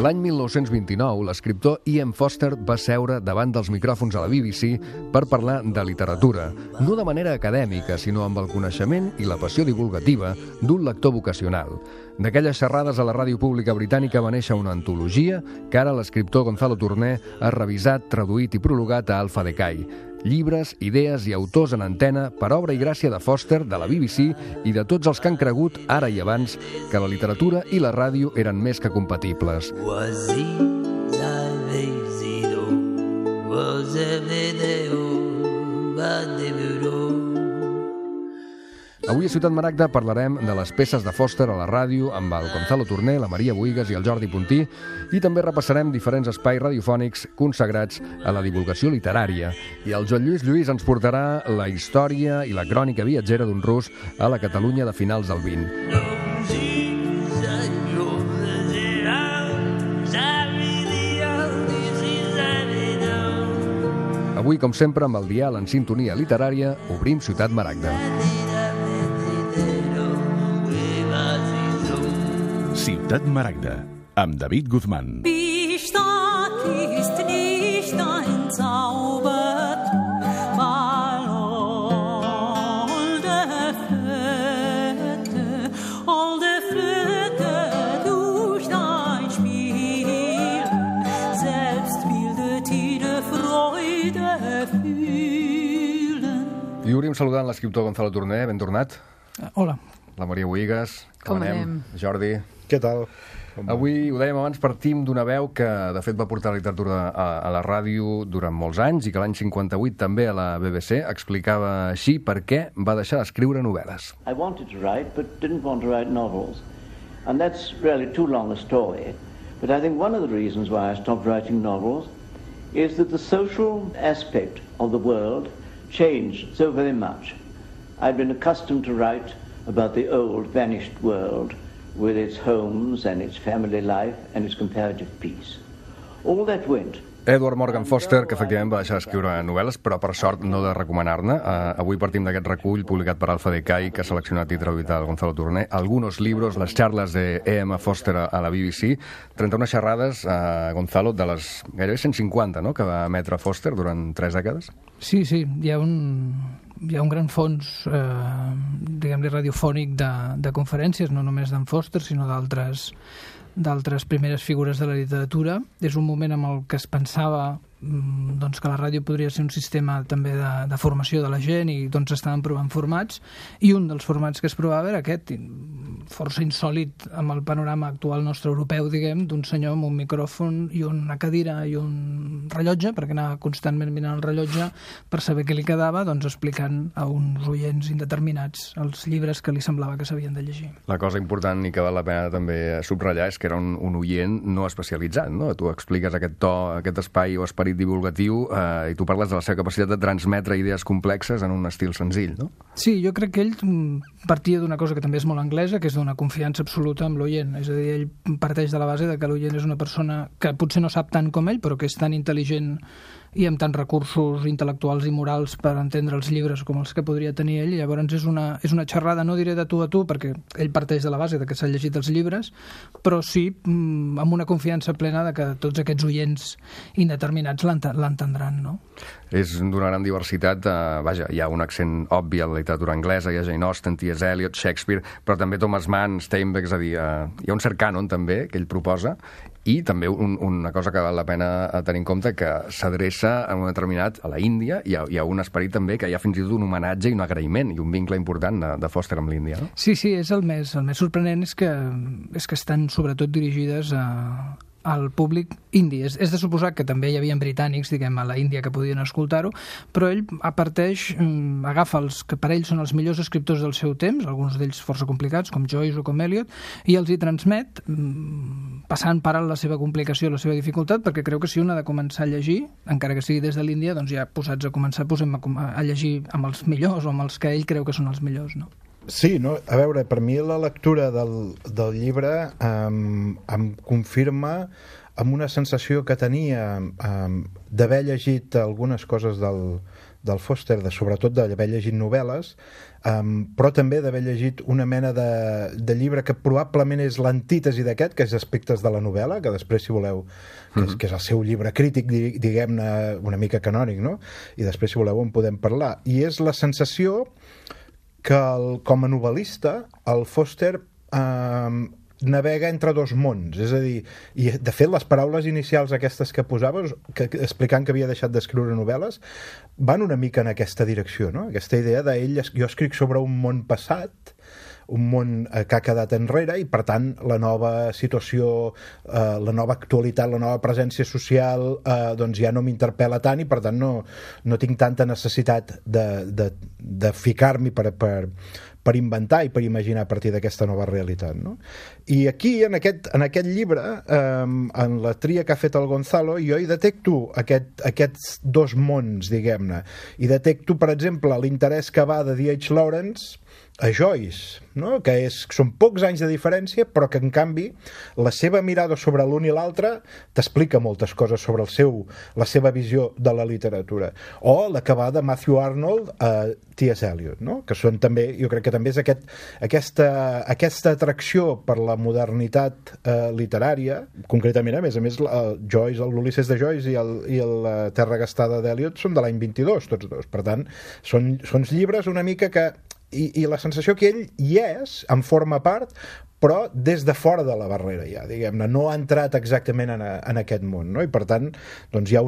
L'any 1929, l'escriptor Ian Foster va seure davant dels micròfons a la BBC per parlar de literatura, no de manera acadèmica, sinó amb el coneixement i la passió divulgativa d'un lector vocacional. D'aquelles xerrades a la ràdio pública britànica va néixer una antologia que ara l'escriptor Gonzalo Tourné ha revisat, traduït i prologat a Alfa Decay. Llibres, idees i autors en antena per obra i gràcia de Foster, de la BBC i de tots els que han cregut, ara i abans, que la literatura i la ràdio eren més que compatibles. Avui a Ciutat Maragda parlarem de les peces de Foster a la ràdio amb el Gonzalo Tourné, la Maria Bohigas i el Jordi Puntí, i també repassarem diferents espais radiofònics consagrats a la divulgació literària. I el Joan Lluís ens portarà la història i la crònica viatgera d'un rus a la Catalunya de finals del 20. Avui, com sempre, amb el dial en sintonia literària, obrim Ciutat Maragda. Ciutat Maragda, amb David Guzmán. I obrim saludant l'escriptor Gonzalo Tourné, ben tornat. Hola. La Maria Bohigas. Com anem? Jordi. Què tal? Avui, ho dèiem abans, partim d'una veu que, de fet, va portar la literatura a la ràdio durant molts anys i que l'any 58 també a la BBC explicava així per què va deixar d'escriure novel·les. I wanted to write, but didn't want to write novels. And that's really too long a story. But I think one of the reasons why I stopped writing novels is that the social aspect of the world changed so very much. I'd been accustomed to write about the old, vanished world with its homes and its family life and its comparative peace. All that went. Edward Morgan Foster, que efectivament va deixar d'escriure novel·les, però per sort no de recomanar-ne. Avui partim d'aquest recull publicat per Alfa Decay, que ha seleccionat i traduït el Gonzalo Tourné. Algunos libros, les charlas de E.M. Foster a la BBC. 31 xerrades, Gonzalo, de les gairebé 150, no?, que va emetre Foster durant 3 dècades. Sí, hi ha un gran fons, diguem-li, radiofònic de conferències, no només d'en Foster, sinó d'altres primeres figures de la literatura. És un moment en el que es pensava doncs, que la ràdio podria ser un sistema també de formació de la gent i doncs estaven provant formats, i un dels formats que es provava era aquest, força insòlit amb el panorama actual nostre europeu, diguem, d'un senyor amb un micròfon i una cadira i un rellotge, perquè anava constantment mirant el rellotge per saber què li quedava, doncs explicant a uns oients indeterminats els llibres que li semblava que s'havien de llegir. La cosa important i que val la pena també subratllar és que era un oient no especialitzat, no? Tu expliques aquest to, aquest espai o esperit divulgatiu i tu parles de la seva capacitat de transmetre idees complexes en un estil senzill, no? Sí, jo crec que ell partia d'una cosa que també és molt anglesa, que és d'una confiança absoluta amb l'oient. És a dir, ell parteix de la base de que l'oient és una persona que potser no sap tant com ell, però que és tan intel·ligent i amb tants recursos intel·lectuals i morals per entendre els llibres com els que podria tenir ell. Llavors és una xerrada, no diré de tu a tu, perquè ell parteix de la base de que s'ha llegit els llibres, però sí amb una confiança plena de que tots aquests oients indeterminats l'entendran, no? És d'una gran diversitat, vaja, hi ha un accent obvi a la literatura anglesa, hi ha Jane Austen, T.S. Eliot, Shakespeare, però també Thomas Mann, Steinbeck, és a dir, hi ha un cert cànon també que ell proposa, i també una cosa que val la pena tenir en compte, que s'adreça a un determinat, a la Índia, hi ha un esperit també que hi ha fins i tot un homenatge i un agraïment i un vincle important de Foster amb l'Índia, no? Sí, és el més sorprenent és que estan sobretot dirigides al públic indi. És de suposar que també hi havia britànics, diguem, a la Índia que podien escoltar-ho, però ell parteix, agafa els que per ell són els millors escriptors del seu temps, alguns d'ells força complicats, com Joyce o com Eliot, i els hi transmet, passant per alt la seva complicació, la seva dificultat, perquè creu que si un ha de començar a llegir, encara que sigui des de l'Índia, doncs ja posats a començar, posem a llegir amb els millors o amb els que ell creu que són els millors, no? Sí, no? A veure, per mi la lectura del llibre em confirma amb una sensació que tenia d'haver llegit algunes coses del Foster, sobretot d'haver llegit novel·les, però també d'haver llegit una mena de llibre que probablement és l'antítesi d'aquest, que és Aspectes de la novel·la, que després, si voleu, que és el seu llibre crític, diguem-ne, una mica canònic, no? I després, si voleu, en podem parlar. I és la sensació que, com a novel·lista, el Foster navega entre dos mons, és a dir, i de fet les paraules inicials aquestes que posaves, explicant que havia deixat d'escriure novel·les, van una mica en aquesta direcció, no? Aquesta idea d'ell, jo escric sobre un món passat, un món que ha quedat enrere, i per tant la nova situació, la nova actualitat, la nova presència social doncs ja no m'interpel·la tant, i per tant no tinc tanta necessitat de ficar-m'hi per inventar i per imaginar a partir d'aquesta nova realitat, no? I aquí, en aquest llibre, en la tria que ha fet el Gonzalo, jo hi detecto aquests dos mons, diguem-ne. I detecto, per exemple, l'interès que va de D.H. Lawrence a Joyce, no? Que són pocs anys de diferència, però que en canvi la seva mirada sobre l'un i l'altre t'explica moltes coses sobre la seva visió de la literatura. O la que va de Matthew Arnold a T.S. Eliot, no? Que són també, jo crec que també és aquesta atracció per la modernitat literària, concretament, a més, Joyce, l'Ulisses de Joyce i la Terra gastada d'Eliot són de l'any 22, tots dos. Per tant, són llibres una mica que i la sensació que ell hi és, en forma part, però des de fora de la barrera ja, diguem-ne, no ha entrat exactament en aquest món, no? I per tant, doncs hi ha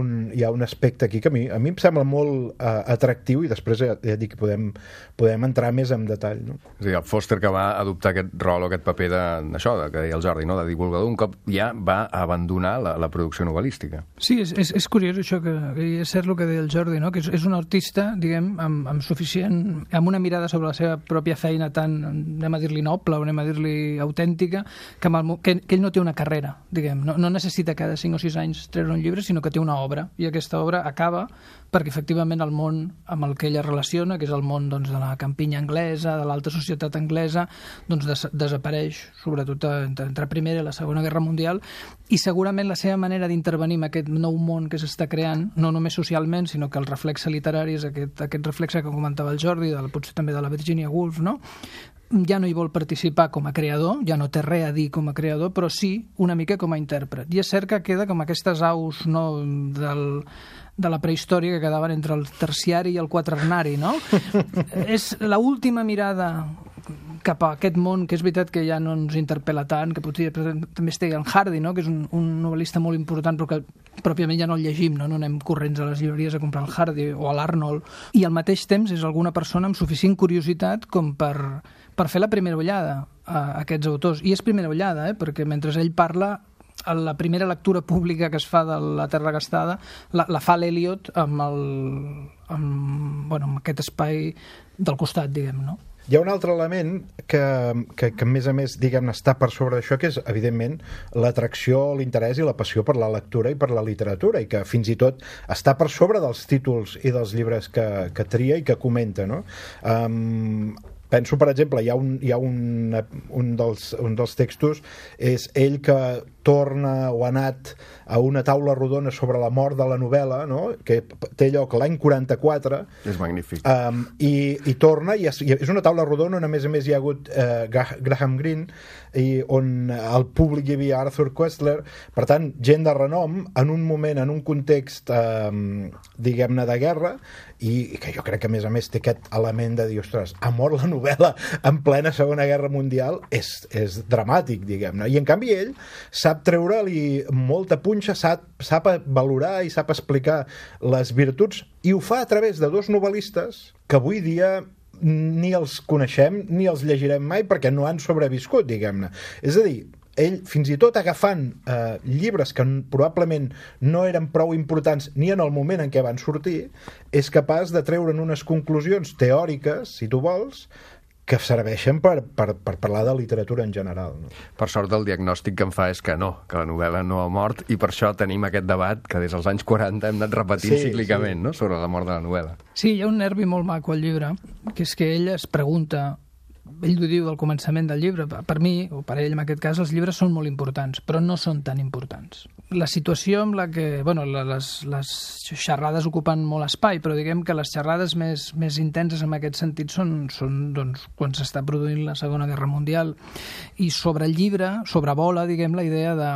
un aspecte aquí que a mi em sembla molt atractiu, i després ja dic que podem entrar més en detall, no? És a dir, el Foster, que va adoptar aquest rol o aquest paper d'això, que deia el Jordi, no? De divulgador, un cop ja va abandonar la producció novel·lística. Sí, és curiós això, que és cert el que deia el Jordi, no? Que és un artista, diguem, amb suficient, amb una mirada sobre la seva pròpia feina tan, anem a dir-li noble, o anem a dir-li autèntica, que ell no té una carrera, diguem, no necessita cada 5 o 6 anys treure un llibre, sinó que té una obra, i aquesta obra acaba perquè efectivament el món amb el que ella relaciona, que és el món, doncs, de la campinya anglesa, de l'alta societat anglesa, doncs desapareix, sobretot entre Primera i la Segona Guerra Mundial, i segurament la seva manera d'intervenir en aquest nou món que s'està creant, no només socialment, sinó que el reflexe literari és aquest reflexe que comentava el Jordi, potser també de la Virginia Woolf, no? Ja no hi vol participar com a creador, ja no té res a dir com a creador, però sí una mica com a intèrpret. I és cert que queda com aquestes aus, no, de la prehistòria que quedaven entre el terciari i el quaternari, no? És l'última mirada cap a aquest món, que és veritat que ja no ens interpel·la tant, que potser també es té el Hardy, no? Que és un novel·lista molt important, però que pròpiament ja no el llegim, no anem corrents a les llibreries a comprar el Hardy o l'Arnold, i al mateix temps és alguna persona amb suficient curiositat com per fer la primera ullada a aquests autors. I és primera ullada, perquè mentre ell parla, la primera lectura pública que es fa de la Terra gastada la fa l'Eliot amb aquest espai del costat, diguem, no? Hi ha un altre element que a més, diguem-ne, està per sobre d'això, que és, evidentment, l'atracció, l'interès i la passió per la lectura i per la literatura, i que fins i tot està per sobre dels títols i dels llibres que tria i que comenta, no? Penso, per exemple, hi ha un dels textos, és ell que torna o ha anat a una taula rodona sobre la mort de la novel·la, no? Que té lloc l'any 44. És magnífic. I torna, i és una taula rodona on a més hi ha hagut Graham Greene, i on al públic hi havia Arthur Koestler, per tant, gent de renom, en un moment, en un context, diguem-ne, de guerra, i que jo crec que, a més té aquest element de dir, ostres, ha mort la novel·la en plena Segona Guerra Mundial, és dramàtic, diguem-ne. I en canvi ell sap treure-li molta punxa, sap valorar i sap explicar les virtuts, i ho fa a través de dos novel·listes que avui dia ni els coneixem ni els llegirem mai perquè no han sobreviscut, diguem-ne. És a dir, ell, fins i tot agafant llibres que probablement no eren prou importants ni en el moment en què van sortir, és capaç de treure'n unes conclusions teòriques, si tu vols, que serveixen per parlar de literatura en general, no? Per sort, el diagnòstic que em fa és que no, que la novel·la no ha mort, i per això tenim aquest debat que des dels anys 40 hem anat repetint cíclicament, no? Sobre la mort de la novel·la. Sí, hi ha un nervi molt maco al llibre, que és que ell es pregunta ell ho diu al començament del llibre, per mi, o per ell en aquest cas, els llibres són molt importants, però no són tan importants. La situació amb la que, les xerrades ocupen molt espai, però diguem que les xerrades més intenses en aquest sentit són doncs, quan s'està produint la Segona Guerra Mundial, i sobre el llibre, sobrevola, diguem, la idea de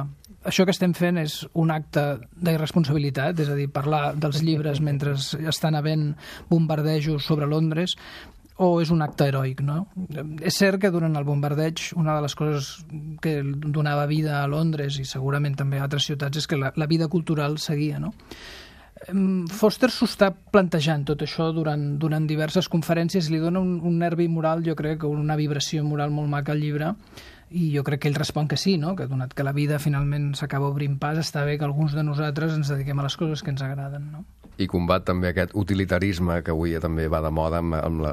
això que estem fent és un acte d'irresponsabilitat, és a dir, parlar dels llibres mentre estan havent bombardejos sobre Londres, o és un acte heroic, no? És cert que durant el bombardeig una de les coses que donava vida a Londres i segurament també a altres ciutats és que la vida cultural seguia, no? Foster s'ho està plantejant tot això durant diverses conferències, li dona un nervi moral, jo crec, una vibració moral molt maca al llibre, i jo crec que ell respon que sí, no? Que donat que la vida finalment s'acaba obrint pas, està bé que alguns de nosaltres ens dediquem a les coses que ens agraden, no? I combat també aquest utilitarisme que avui també va de moda amb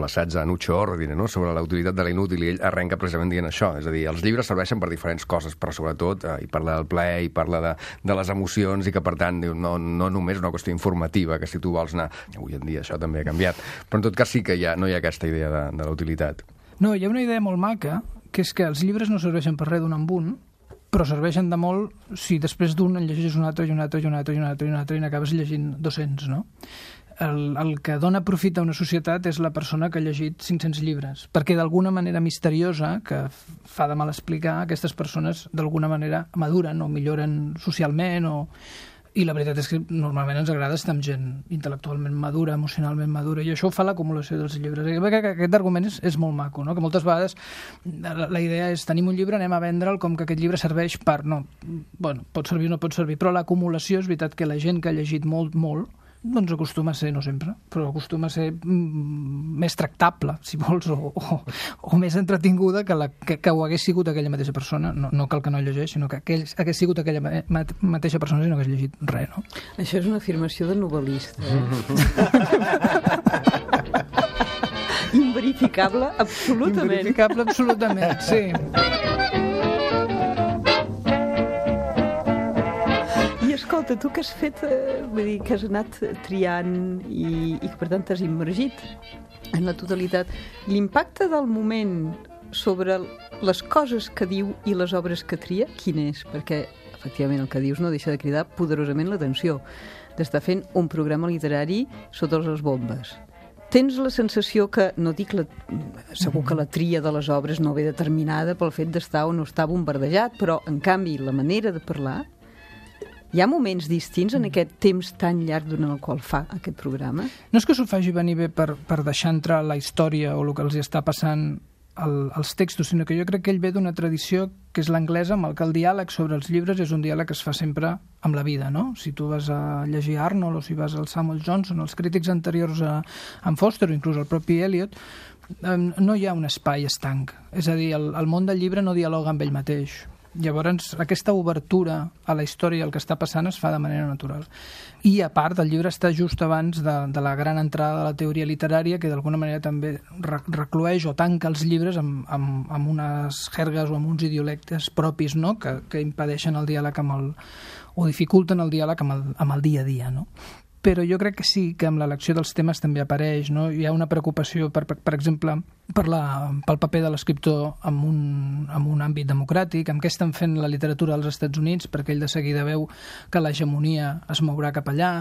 l'assaig de Nucho Ordine, no? Sobre la utilitat de l'inútil, i ell arrenca precisament dient això, és a dir, els llibres serveixen per diferents coses, però sobretot hi parla del plaer, hi parla de les emocions, i que per tant diu, no només una qüestió informativa, que si tu vols anar... Avui en dia això també ha canviat, però en tot cas sí que no hi ha aquesta idea de la utilitat. No, hi ha una idea molt maca, que és que els llibres no serveixen per res d'un en un, però serveixen de molt si després d'un en llegeixes un altre i un altre i un altre i un altre i un altre i n'acabes llegint 200, no? El que dona profit a una societat és la persona que ha llegit 500 llibres, perquè d'alguna manera misteriosa, que fa de mal explicar, aquestes persones d'alguna manera maduren o milloren socialment i la veritat és que normalment ens agrada estar amb gent intel·lectualment madura, emocionalment madura, i això ho fa l'acumulació dels llibres. Aquest argument és molt maco, no? Que moltes vegades la idea és tenim un llibre, anem a vendre'l com que aquest llibre serveix per... No, bueno, pot servir o no pot servir, però l'acumulació és veritat que la gent que ha llegit molt, molt, doncs acostuma a ser, no sempre, però acostuma a ser més tractable, si vols, o més entretinguda que ho hagués sigut aquella mateixa persona, no cal que no llegeix, sinó que hagués sigut aquella mateixa persona si no hagués llegit res, no? Això és una afirmació de novel·lista. Inverificable, absolutament. Inverificable, absolutament, sí. Escolta, tu que has fet, vull dir, que has anat triant i que per tant t'has immergit en la totalitat, l'impacte del moment sobre les coses que diu i les obres que tria, quin és? Perquè, efectivament, el que dius no deixa de cridar poderosament l'atenció, d'estar fent un programa literari sota les bombes. Tens la sensació que, no dic segur que la tria de les obres no ve determinada pel fet d'estar o no estar bombardejat, però, en canvi, la manera de parlar... Hi ha moments distints en aquest temps tan llarg durant el qual fa aquest programa? No és que s'ho faci venir bé per deixar entrar la història o el que els està passant als textos, sinó que jo crec que ell ve d'una tradició que és l'anglesa, amb el que el diàleg sobre els llibres és un diàleg que es fa sempre amb la vida, no? Si tu vas a llegir Arnold o si vas al Samuel Johnson, els crítics anteriors a en Foster o inclús el propi Eliot, no hi ha un espai estanc. És a dir, el món del llibre no dialoga amb ell mateix. Llavors, aquesta obertura a la història i el que està passant es fa de manera natural. I, a part, el llibre està just abans de la gran entrada de la teoria literària, que d'alguna manera també recloeix o tanca els llibres amb unes jergues o amb uns idiolectes propis, no?, que impedeixen el diàleg o dificulten el diàleg amb el dia a dia, no? Però jo crec que sí, que amb l'elecció dels temes també apareix, no? Hi ha una preocupació, per exemple, pel paper de l'escriptor en un àmbit democràtic, amb què estan fent la literatura als Estats Units, perquè ell de seguida veu que l'hegemonia es mourà cap allà,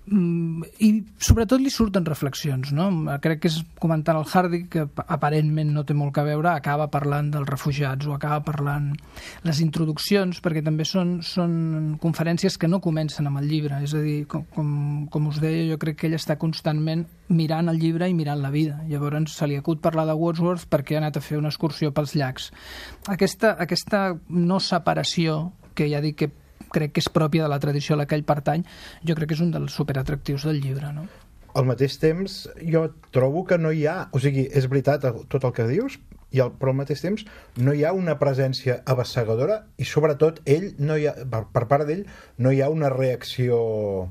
i sobretot li surten reflexions, no? Crec que és comentant el Hardy, que aparentment no té molt que veure, acaba parlant dels refugiats o acaba parlant les introduccions, perquè també són conferències que no comencen amb el llibre, és a dir, com us deia, jo crec que ell està constantment mirant el llibre i mirant la vida. Llavors se li acut parlar de Wordsworth perquè ha anat a fer una excursió pels llacs. Aquesta no separació, que ja dic que crec que és pròpia de la tradició a la que ell pertany, jo crec que és un dels superatractius del llibre, no? Al mateix temps, jo trobo que no hi ha... O sigui, és veritat tot el que dius, però al mateix temps no hi ha una presència abassegadora i, sobretot, per part d'ell, no hi ha una reacció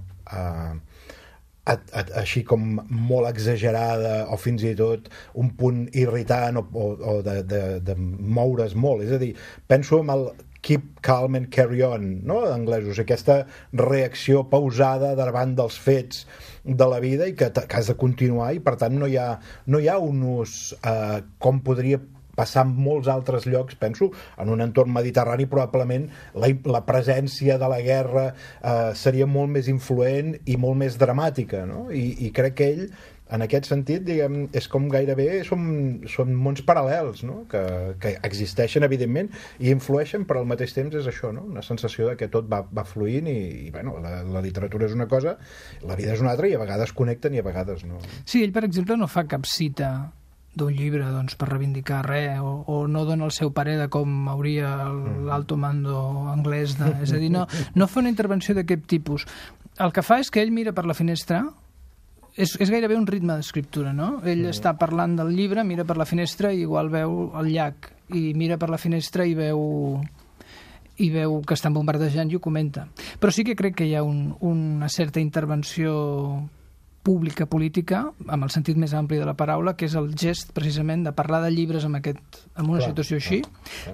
així com molt exagerada o fins i tot un punt irritant o de moure's molt. És a dir, penso en keep calm and carry on, no? En anglès, o sigui, aquesta reacció pausada davant dels fets de la vida i que has de continuar, i per tant no hi ha un ús com podria passar en molts altres llocs, penso, en un entorn mediterrani probablement la presència de la guerra seria molt més influent i molt més dramàtica, no? I crec que ell, en aquest sentit, diguem, és com gairebé són mons paral·lels, no? que existeixen, evidentment, i influeixen, però al mateix temps és això, no? Una sensació de que tot va fluint i bueno, la literatura és una cosa, la vida és una altra, i a vegades connecten i a vegades no. Sí, ell, per exemple, no fa cap cita d'un llibre doncs, per reivindicar res, o no dona el seu parer de com hauria l'alto mando anglès. És a dir, no fa una intervenció d'aquest tipus. El que fa és que ell mira per la finestra. És gairebé un ritme d'escriptura, no? Ell està parlant del llibre, mira per la finestra i igual veu el llac, i mira per la finestra i veu que estan bombardejant i ho comenta. Però sí que crec que hi ha una certa intervenció pública, política, amb el sentit més ampli de la paraula, que és el gest, precisament, de parlar de llibres en una situació així,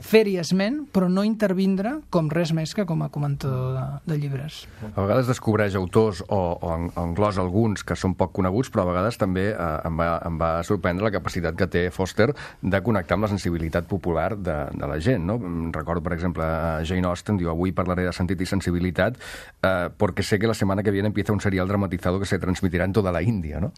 fer-hi esment, però no intervindre com res més que com a comentador de llibres. A vegades descobreix autors o englosa alguns que són poc coneguts, però a vegades també em va sorprendre la capacitat que té Foster de connectar amb la sensibilitat popular de la gent, no? Recordo, per exemple, Jane Austen diu: avui parlaré de sentit i sensibilitat porque sé que la semana que viene empieza un serial dramatizado que se transmitirá en toda la Índia, no?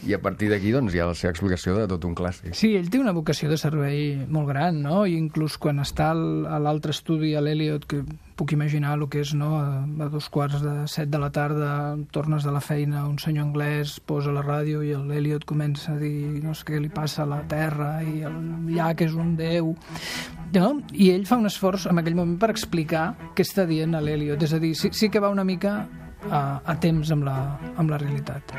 I a partir d'aquí doncs, hi ha la seva explicació de tot un clàssic. Sí, ell té una vocació de servei molt gran, no? I inclús quan està a l'altre estudi, a l'Eliot, que puc imaginar el que és, no? A 6:45 de la tarda, tornes de la feina, un senyor anglès posa la ràdio i l'Eliot comença a dir no sé què li passa a la terra i el llac és un déu, no? I ell fa un esforç en aquell moment per explicar què està dient a l'Eliot, és a dir, sí que va una mica a temps amb la realitat.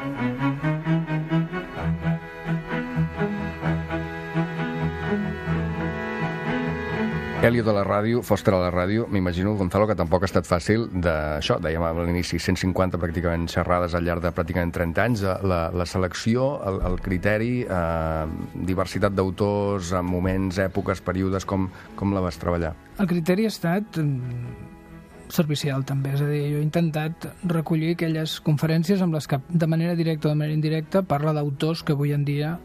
Eliot a la ràdio, Foster a la ràdio, m'imagino, Gonzalo, que tampoc ha estat fàcil d'això, dèiem a l'inici, 150 pràcticament xerrades al llarg de pràcticament 30 anys, la selecció, el criteri, diversitat d'autors, moments, èpoques, períodes, com la vas treballar? El criteri ha estat servicial, també. És a dir, jo he intentat recollir aquelles conferències amb les que, de manera directa o de manera indirecta, parla d'autors que avui en dia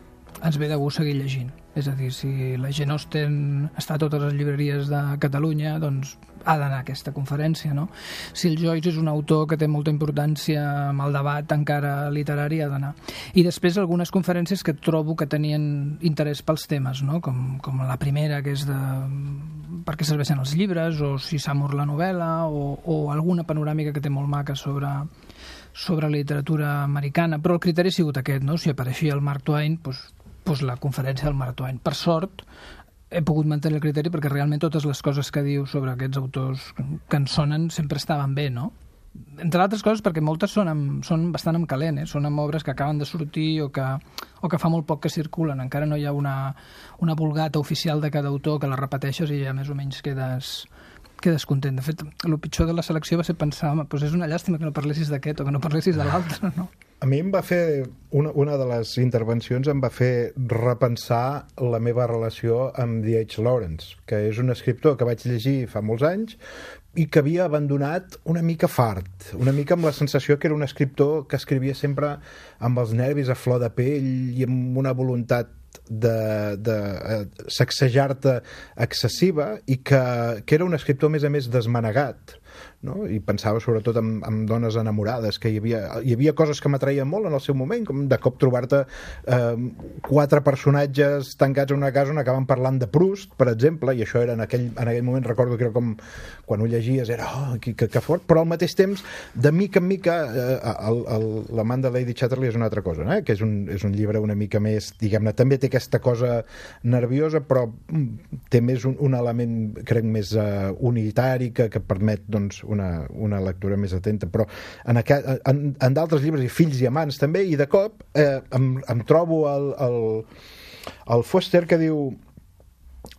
ens ve de gust seguir llegint. És a dir, si la Jane Austen està a totes les llibreries de Catalunya, doncs ha d'anar a aquesta conferència, no? Si el Joyce és un autor que té molta importància amb el debat encara literari, ha d'anar. I després algunes conferències que trobo que tenien interès pels temes, no? Com la primera, que és de per què serveixen els llibres, o si s'ha mort la novel·la, o alguna panoràmica que té molt maca sobre literatura americana. Però el criteri ha sigut aquest, no? Si apareixia el Mark Twain, doncs la conferència del Mark Twain. Per sort, he pogut mantenir el criteri perquè realment totes les coses que diu sobre aquests autors que ens sonen sempre estaven bé, no? Entre altres coses perquè moltes són bastant en calent, són amb obres que acaben de sortir o que fa molt poc que circulen. Encara no hi ha una vulgata oficial de cada autor que la repeteixes i ja més o menys quedes content. De fet, el pitjor de la selecció va ser pensar, doncs és una llàstima que no parlessis d'aquest o que no parlessis de l'altre, no? A mi em va fer, una de les intervencions em va fer repensar la meva relació amb D.H. Lawrence, que és un escriptor que vaig llegir fa molts anys i que havia abandonat una mica fart, una mica amb la sensació que era un escriptor que escrivia sempre amb els nervis a flor de pell i amb una voluntat de sacsejar-te excessiva, i que era un escriptor a més desmanegat, no? I pensava sobretot en dones enamorades, que hi havia coses que m'atreien molt en el seu moment, com de cop trobar-te 4 personatges tancats en una casa on acaben parlant de Proust, per exemple, i això era en aquell moment, recordo que era com quan ho llegies, era que fort, però al mateix temps, de mica en mica, l'amant de Lady Chatterley és una altra cosa, que és un llibre una mica més, diguem-ne, també té aquesta cosa nerviosa, però té més un element, crec, més unitari que permet, doncs, una lectura més atenta. Però en d'altres llibres, i Fills i amants també, i de cop em trobo el Foster que diu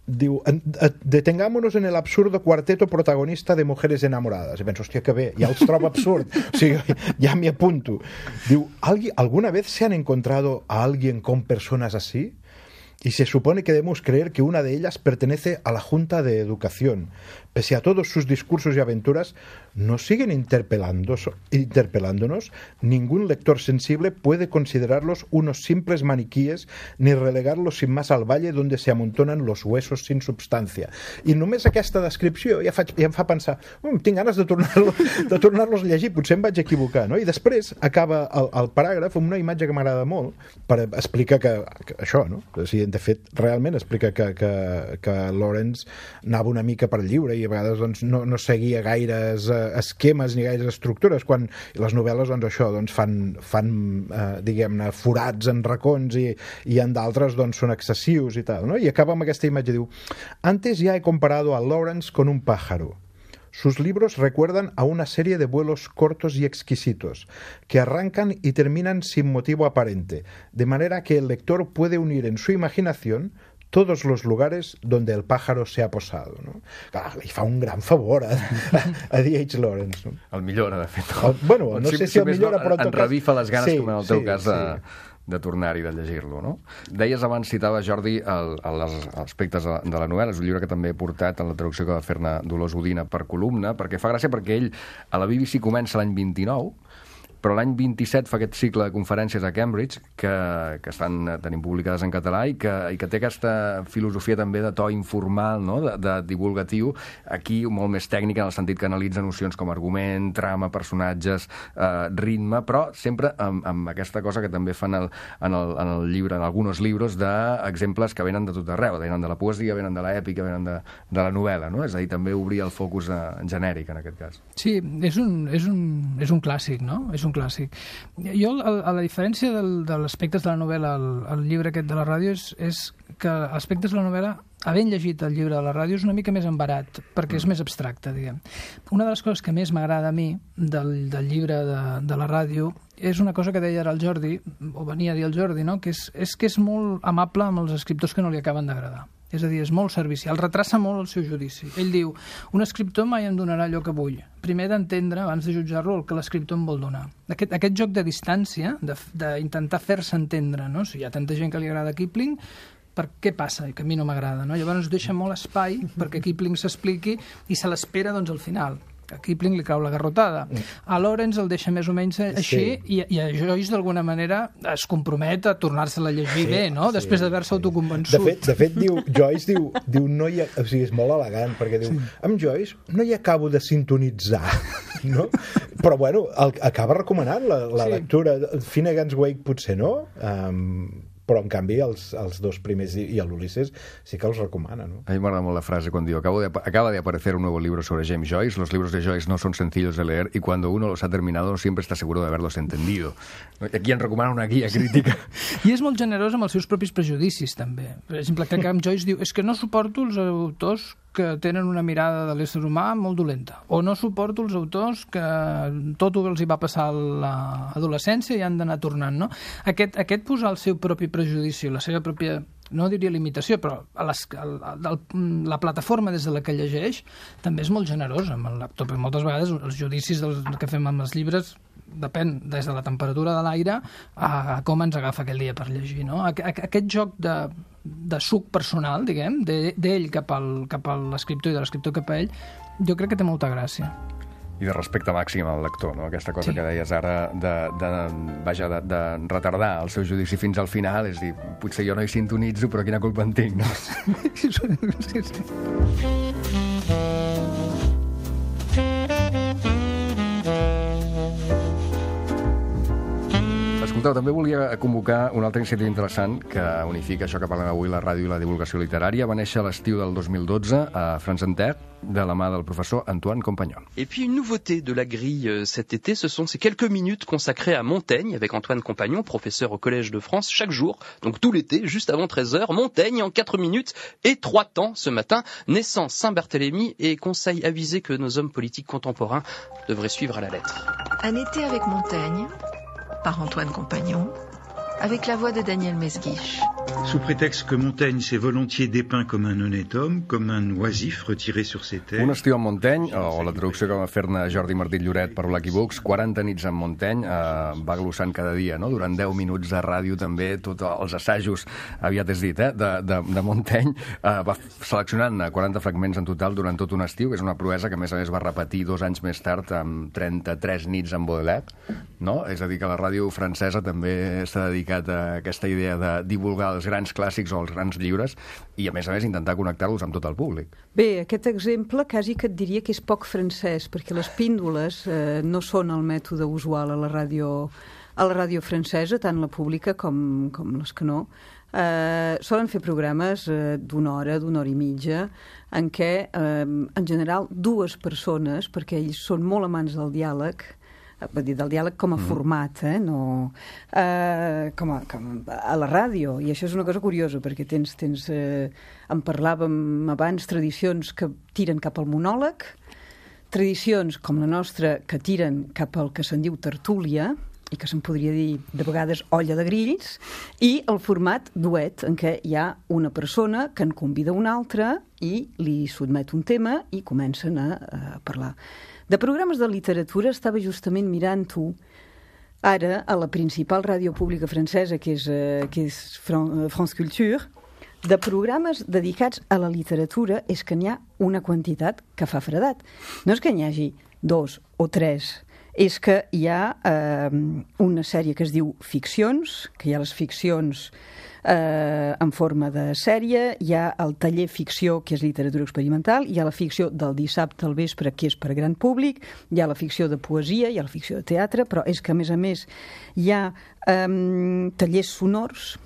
detengámonos en el absurdo cuarteto protagonista de mujeres enamoradas. I penso, hòstia, que bé, ja els trobo absurd. O sigui, ja m'hi apunto. Diu, ¿alguna vez se han encontrado a alguien con personas así? Y se supone que debemos creer que una de ellas pertenece a la Junta de Educación. pese a todos sus discursos y aventuras, nos siguen interpelándonos. Ningún lector sensible puede considerarlos unos simples maniquíes ni relegarlos sin más al valle donde se amontonan los huesos sin substància. I només aquesta descripció ja em fa pensar, tinc ganes de tornar-los a llegir, potser em vaig equivocar, no? I després acaba el paràgraf amb una imatge que m'agrada molt per explicar que això, no? O sigui, de fet, realment explica que Lawrence anava una mica per lliure i a vegades doncs, no seguia gaires esquemes ni gaires estructures, quan les novel·les doncs, això, doncs, fan diguem-ne, forats en racons i en d'altres doncs, són excessius i tal, no? I acaba amb aquesta imatge, diu: «Antes ya he comparado a Lawrence con un pájaro. Sus libros recuerdan a una serie de vuelos cortos y exquisitos, que arrancan y terminan sin motivo aparente, de manera que el lector puede unir en su imaginación todos los lugares donde el pájaro se ha posado». No? Clar, li fa un gran favor a D.H. Lawrence. No? El millora, de fet. Bueno, no sé si el millora, però en tot cas... revifa les ganes, com en el teu cas, de tornar-hi, de llegir-lo, no? Deies abans, citava, Jordi, els aspectes de la novel·la. És un llibre que també he portat en la traducció que va fer-ne Dolors Udina per columna, perquè fa gràcia, perquè ell a la BBC comença l'any 29, però l'any 27 fa aquest cicle de conferències a Cambridge que estan tenint publicades en català i que té aquesta filosofia també de to informal, no? de divulgatiu, aquí molt més tècnica, en el sentit que analitza nocions com argument, trama, personatges, ritme, però sempre amb aquesta cosa que també fan en el llibre, en alguns llibres, d'exemples que venen de tot arreu, venen de la poesia, venen de l'èpica, venen de la novel·la, no? És a dir, també obrir el focus genèric en aquest cas. Sí, és un clàssic, no? És un clàssic. Jo, a la diferència dels aspectes de la novel·la al llibre aquest de la ràdio, és que aspectes de la novel·la, havent llegit el llibre de la ràdio, és una mica més embarat, perquè és més abstracte, diguem. Una de les coses que més m'agrada a mi del llibre de la ràdio és una cosa que deia ara el Jordi, o venia a dir el Jordi, no? que és molt amable amb els escriptors que no li acaben d'agradar. És a dir, és molt servicial, retrassa molt el seu judici. Ell diu, un escriptor mai em donarà allò que vull. Primer d'entendre, abans de jutjar-lo, el que l'escriptor em vol donar. Aquest joc de distància, d'intentar fer-se entendre, no? Si hi ha tanta gent que li agrada Kipling, per què passa i que a mi no m'agrada, no? Llavors deixa molt espai perquè Kipling s'expliqui i se l'espera doncs, al final. A Kipling li cau la garrotada. A Lawrence el deixa més o menys així, sí. i a Joyce d'alguna manera es compromet a tornar-se-la a llegir bé, no? Sí. Després d'haver-se autoconvençut. De fet Joyce diu no hi ha, o sigui, és molt elegant, perquè diu, amb Joyce no hi acabo de sintonitzar, no? Però bueno, acaba recomanant la lectura. Finnegan's Wake potser no, però en canvi els dos primers i l'Ulisses sí que els recomana, ¿no? A mí me agrada molt la frase cuando digo, acaba de aparecer un nuevo libro sobre James Joyce, los libros de Joyce no son sencillos de leer y cuando uno los ha terminado siempre está seguro de haberlos entendido. Aquí en recomana una guia crítica. I és molt generós amb els seus propis prejudicis, també. Per exemple, que amb Joyce diu, és que no suporto els autors que tenen una mirada de l'ésser humà molt dolenta, o no suporto els autors que tot els hi va passar a l'adolescència i han d'anar tornant, no? Aquest posar el seu propi prejudici, la seva pròpia, no diria limitació, però la plataforma des de la que llegeix també és molt generosa amb el lector, perquè moltes vegades els judicis que fem amb els llibres depèn des de la temperatura de l'aire a com ens agafa aquell dia per llegir, no? Aquest joc de suc personal, diguem, d'ell cap a l'escriptor i de l'escriptor cap a ell, jo crec que té molta gràcia. I de respecte màxim al lector, no? Aquesta cosa que deies ara de retardar el seu judici fins al final, és dir, potser jo no hi sintonitzo, però quina culpa en tinc, no? Sí. Escolteu, també volia convocar una altra iniciativa interessant que unifica això que parlem avui, la ràdio i la divulgació literària. Va néixer a l'estiu del 2012 a France Inter, de la main du professeur Antoine Compagnon. Et puis une nouveauté de la grille cet été, ce sont ces quelques minutes consacrées à Montaigne avec Antoine Compagnon, professeur au Collège de France, chaque jour, donc tout l'été, juste avant 13h, Montaigne en 4 minutes et 3 temps ce matin, naissance Saint-Barthélemy et conseil avisé que nos hommes politiques contemporains devraient suivre à la lettre. Un été avec Montaigne, par Antoine Compagnon, avec la voix de Daniel Mesguich. Sous prétexte que Montaigne s'est volontiers dépeint comme un honnête homme, comme un oisif retiré sur ses terres... Un estiu amb Montaigne, o la traducció que va fer-ne Jordi Martí Lloret per Lucky Books, 40 nits amb Montaigne, va glossant cada dia, no? Durant 10 minuts de ràdio també, tots els assajos, aviat és dit, de Montaigne, va seleccionant 40 fragments en total durant tot un estiu, que és una proesa que a més va repetir 2 anys més tard amb 33 nits amb Baudelaire, no? És a dir, que la ràdio francesa també s'ha dedicat a aquesta idea de divulgar els grans clàssics o els grans llibres i, a més, intentar connectar-los amb tot el públic. Bé, aquest exemple quasi que et diria que és poc francès, perquè les píndoles no són el mètode usual a la ràdio francesa, tant la pública com les que no. Solen fer programes d'una hora i mitja, en què, en general, 2 persones, perquè ells són molt amants del diàleg, vull dir, del diàleg com a format, no com a la ràdio, i això és una cosa curiosa, perquè en parlàvem abans, tradicions que tiren cap al monòleg, tradicions com la nostra que tiren cap al que se'n diu tertúlia, i que se'n podria dir de vegades olla de grills, i el format duet, en què hi ha una persona que en convida una altra i li sotmet un tema i comencen a parlar. De programes de literatura estava justament mirant-ho ara a la principal ràdio pública francesa, que és France Culture. De programes dedicats a la literatura és que n'hi ha una quantitat que fa fredat. No és que n'hi hagi 2 o 3, és que hi ha una sèrie que es diu Ficcions, que hi ha les ficcions en forma de sèrie, hi ha el taller ficció, que és literatura experimental, hi ha la ficció del dissabte al vespre, que és per gran públic, hi ha la ficció de poesia, hi ha la ficció de teatre, però és que, a més, hi ha tallers sonors,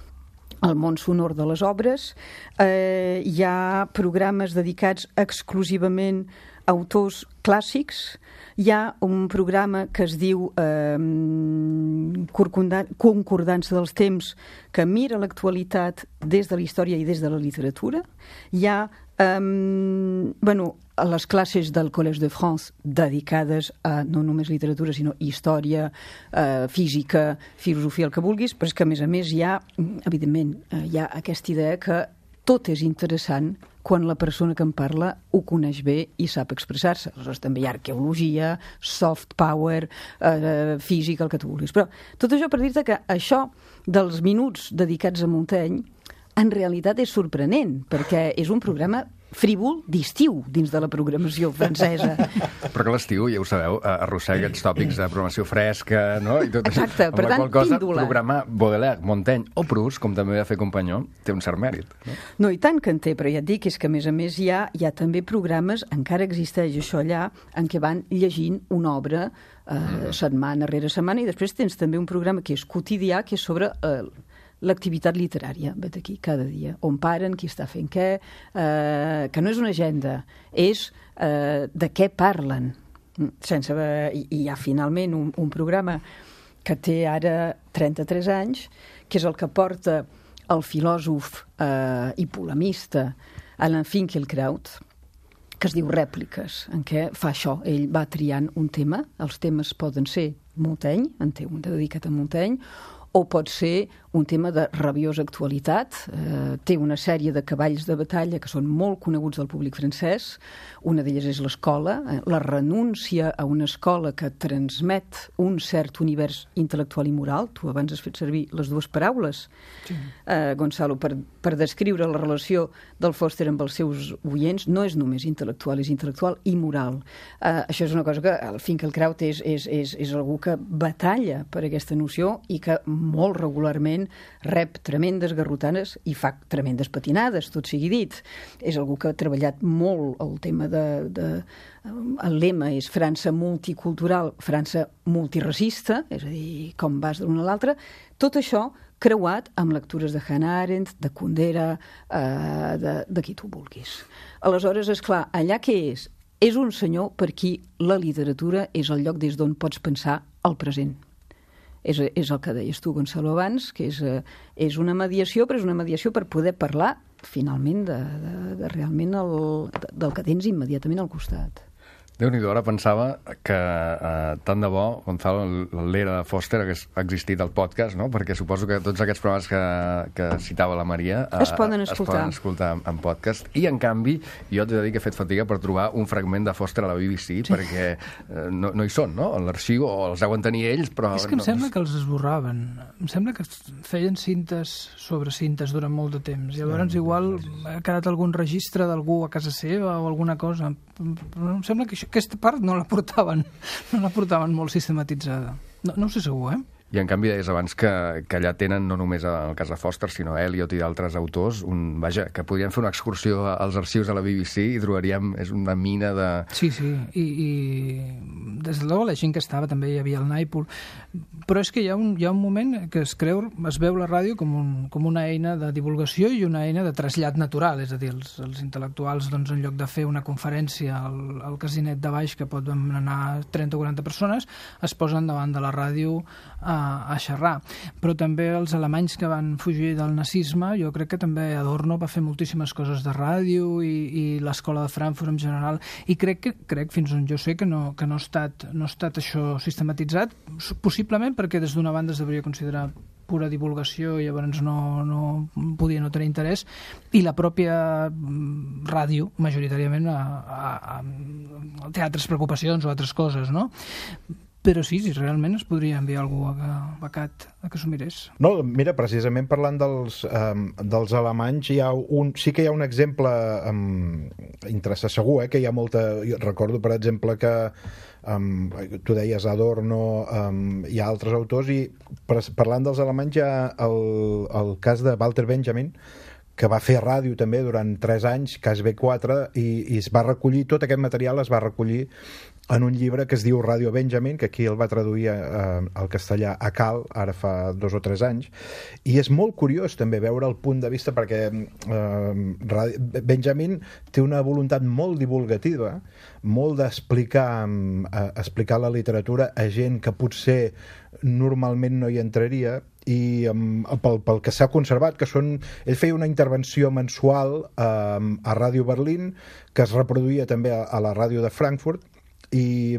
el món sonor de les obres, hi ha programes dedicats exclusivament a autors clàssics, hi ha un programa que es diu Concordança dels temps, que mira l'actualitat des de la història i des de la literatura. Hi ha les classes del Collège de France dedicades a no només literatura, sinó història, física, filosofia, el que vulguis, però és que, a més, hi ha, evidentment, hi ha aquesta idea que tot és interessant quan la persona que en parla ho coneix bé i sap expressar-se. Aleshores també hi ha arqueologia, soft power, física, el que tu vulguis. Però tot això per dir-te que això dels minuts dedicats a Montaigne en realitat és sorprenent, perquè és un programa frívol d'estiu dins de la programació francesa. Però que l'estiu, ja ho sabeu, arrossega aquests tòpics de programació fresca, no? I tot això. Exacte, per tant, píndola. Programar Baudelaire, Montaigne o Proust, com també va fer Companyó, té un cert mèrit. No, i tant que en té, però ja et dic, és que a més hi ha també programes, encara existeix això allà, en què van llegint una obra setmana rere setmana, i després tens també un programa que és quotidià, que és sobre l'activitat literària, vet aquí, cada dia, on paren, qui està fent què, que no és una agenda, és de què parlen. I hi ha finalment un programa que té ara 33 anys, que és el que porta el filòsof i polemista Alain Finkielkraut, que es diu Rèpliques, en què fa això, ell va triant un tema, els temes poden ser Montaigne, en té un dedicat a Montaigne, o pot ser un tema de rabiosa actualitat. Té una sèrie de cavalls de batalla que són molt coneguts del públic francès. Una d'elles és l'escola, la renúncia a una escola que transmet un cert univers intel·lectual i moral. Tu abans has fet servir les 2 paraules, sí. Gonzalo, per descriure la relació del Foster amb els seus oients. No és només intel·lectual, és intel·lectual i moral. Això és una cosa que el Finkielkraut és algú que batalla per aquesta noció i que molt regularment rep tremendes garrotanes i fa tremendes patinades, tot sigui dit. És algú que ha treballat molt el tema el lema és França multicultural, França multiracista, és a dir, com vas d'una a l'altra. Tot això creuat amb lectures de Hannah Arendt, de Kundera, de qui tu vulguis. Aleshores, esclar, allà què és? És un senyor per qui la literatura és el lloc des d'on pots pensar el present. És el que deies tu, Gonzalo, abans, que és una mediació, però és una mediació per poder parlar, finalment, de realment del que tens immediatament al costat. Déu-n'hi-do, ara pensava que tant de bo, Gonzalo, l'era de Foster hagués existit al podcast, no? Perquè suposo que tots aquests programes que citava la Maria es poden escoltar en podcast, i en canvi jo t'he de dir que he fet fatiga per trobar un fragment de Foster a la BBC, perquè no hi són, no? A l'arxiu, o els deuen tenir ells, però... És que em sembla que els esborraven. Em sembla que feien cintes sobre cintes durant molt de temps, i llavors igual ha quedat algun registre d'algú a casa seva o alguna cosa. Però em sembla que aquesta part no la portaven molt sistematitzada. No ho sé segur, I en canvi deies abans que allà tenen no només el cas de Foster, sinó Eliot i d'altres autors, que podríem fer una excursió als arxius de la BBC i trobaríem, és una mina de... Sí, i des de la gent que estava, també hi havia el Naipool, però és que hi ha un moment que es veu la ràdio com una eina de divulgació i una eina de trasllat natural, és a dir, els intel·lectuals, doncs, en lloc de fer una conferència al casinet de baix, que pot anar 30 o 40 persones, es posen davant de la ràdio a xerrar. Però també els alemanys que van fugir del nazisme, jo crec que també Adorno va fer moltíssimes coses de ràdio i l'escola de Frankfurt en general, i crec fins on jo sé que no ha estat això sistematitzat, possiblement perquè des d'una banda es devia considerar pura divulgació i llavors no podia no tenir interès, i la pròpia ràdio majoritàriament a altres preocupacions o altres coses, no? Però sí, realment es podria enviar algú becat a que s'ho mirés. No, mira, precisament parlant dels alemanys, sí que hi ha un exemple interessant, segur, que hi ha molta... Jo recordo, per exemple, que tu deies Adorno, hi ha altres autors, i parlant dels alemanys hi ha el cas de Walter Benjamin, que va fer ràdio també durant 3 anys, cas B4, i es va recollir, tot aquest material es va recollir en un llibre que es diu Radio Benjamin, que aquí el va traduir al castellà a Cal, ara fa 2 o 3 anys, i és molt curiós també veure el punt de vista, perquè Benjamin té una voluntat molt divulgativa, molt d'explicar la literatura a gent que potser normalment no hi entraria, i pel que s'ha conservat, que ell feia una intervenció mensual a Ràdio Berlín, que es reproduïa també a la ràdio de Frankfurt, i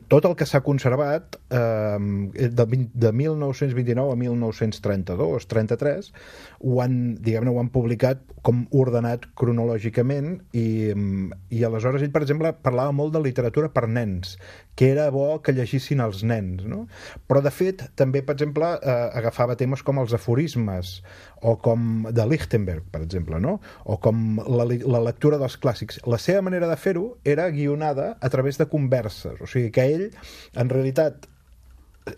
tot el que s'ha conservat de 1929 a 1932-33 ho han publicat com ordenat cronològicament, i aleshores ell, per exemple, parlava molt de literatura per nens, que era bo que llegissin els nens, no? Però de fet també, per exemple, agafava temes com els aforismes, o com de Lichtenberg, per exemple, no? O com la lectura dels clàssics. La seva manera de fer-ho era guionada a través de converses, o sigui que ell, en realitat,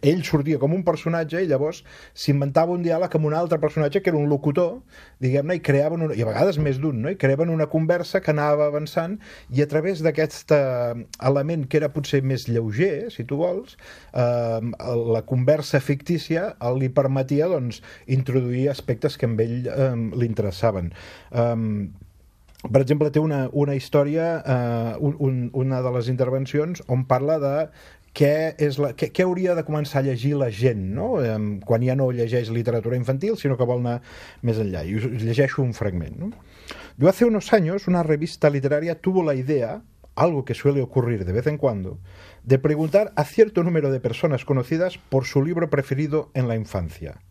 ell sortia com un personatge i llavors s'inventava un diàleg amb un altre personatge que era un locutor, diguem-ne, i creaven i a vegades més d'un, no? I creaven una conversa que anava avançant, i a través d'aquest element que era potser més lleuger, si tu vols, la conversa fictícia li permetia, doncs, introduir aspectes que a ell li interessaven. Per exemple, té una història, una de les intervencions, on parla de què hauria de començar a llegir la gent, no? Quan ja no llegeix literatura infantil, sino que vol anar més enllà. Y us llegeixo un fragment, ¿no? Yo hace unos años una revista literaria tuvo la idea, algo que suele ocurrir de vez en cuando, de preguntar a cierto número de personas conocidas por su libro preferido en la infancia.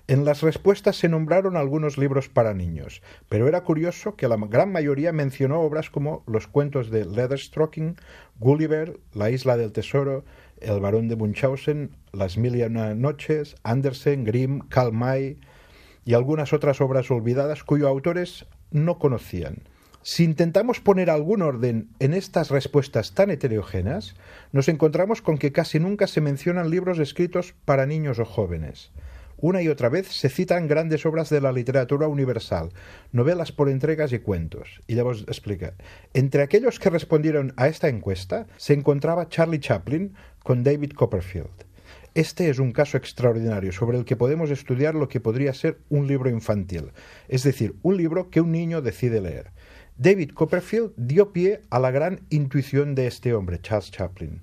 En las respuestas se nombraron algunos libros para niños, pero era curioso que la gran mayoría mencionó obras como los cuentos de Leatherstocking, Gulliver, La isla del tesoro, El barón de Munchausen, Las mil y una noches, Andersen, Grimm, Karl May y algunas otras obras olvidadas cuyos autores no conocían. Si intentamos poner algún orden en estas respuestas tan heterogéneas, nos encontramos con que casi nunca se mencionan libros escritos para niños o jóvenes. Una y otra vez se citan grandes obras de la literatura universal, novelas por entregas y cuentos. Y luego explica, entre aquellos que respondieron a esta encuesta se encontraba Charlie Chaplin con David Copperfield. Este es un caso extraordinario sobre el que podemos estudiar lo que podría ser un libro infantil, es decir, un libro que un niño decide leer. David Copperfield dio pie a la gran intuición de este hombre, Charles Chaplin.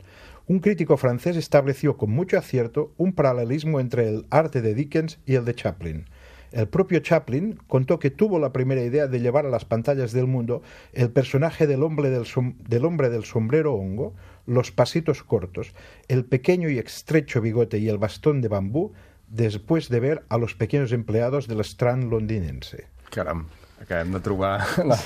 Un crítico francés estableció con mucho acierto un paralelismo entre el arte de Dickens y el de Chaplin. el propio Chaplin contó que tuvo la primera idea de llevar a las pantallas del mundo el personaje del hombre del sombrero hongo, los pasitos cortos, el pequeño y estrecho bigote y el bastón de bambú, después de ver a los pequeños empleados del Strand londinense. Caram, acabem de trobar la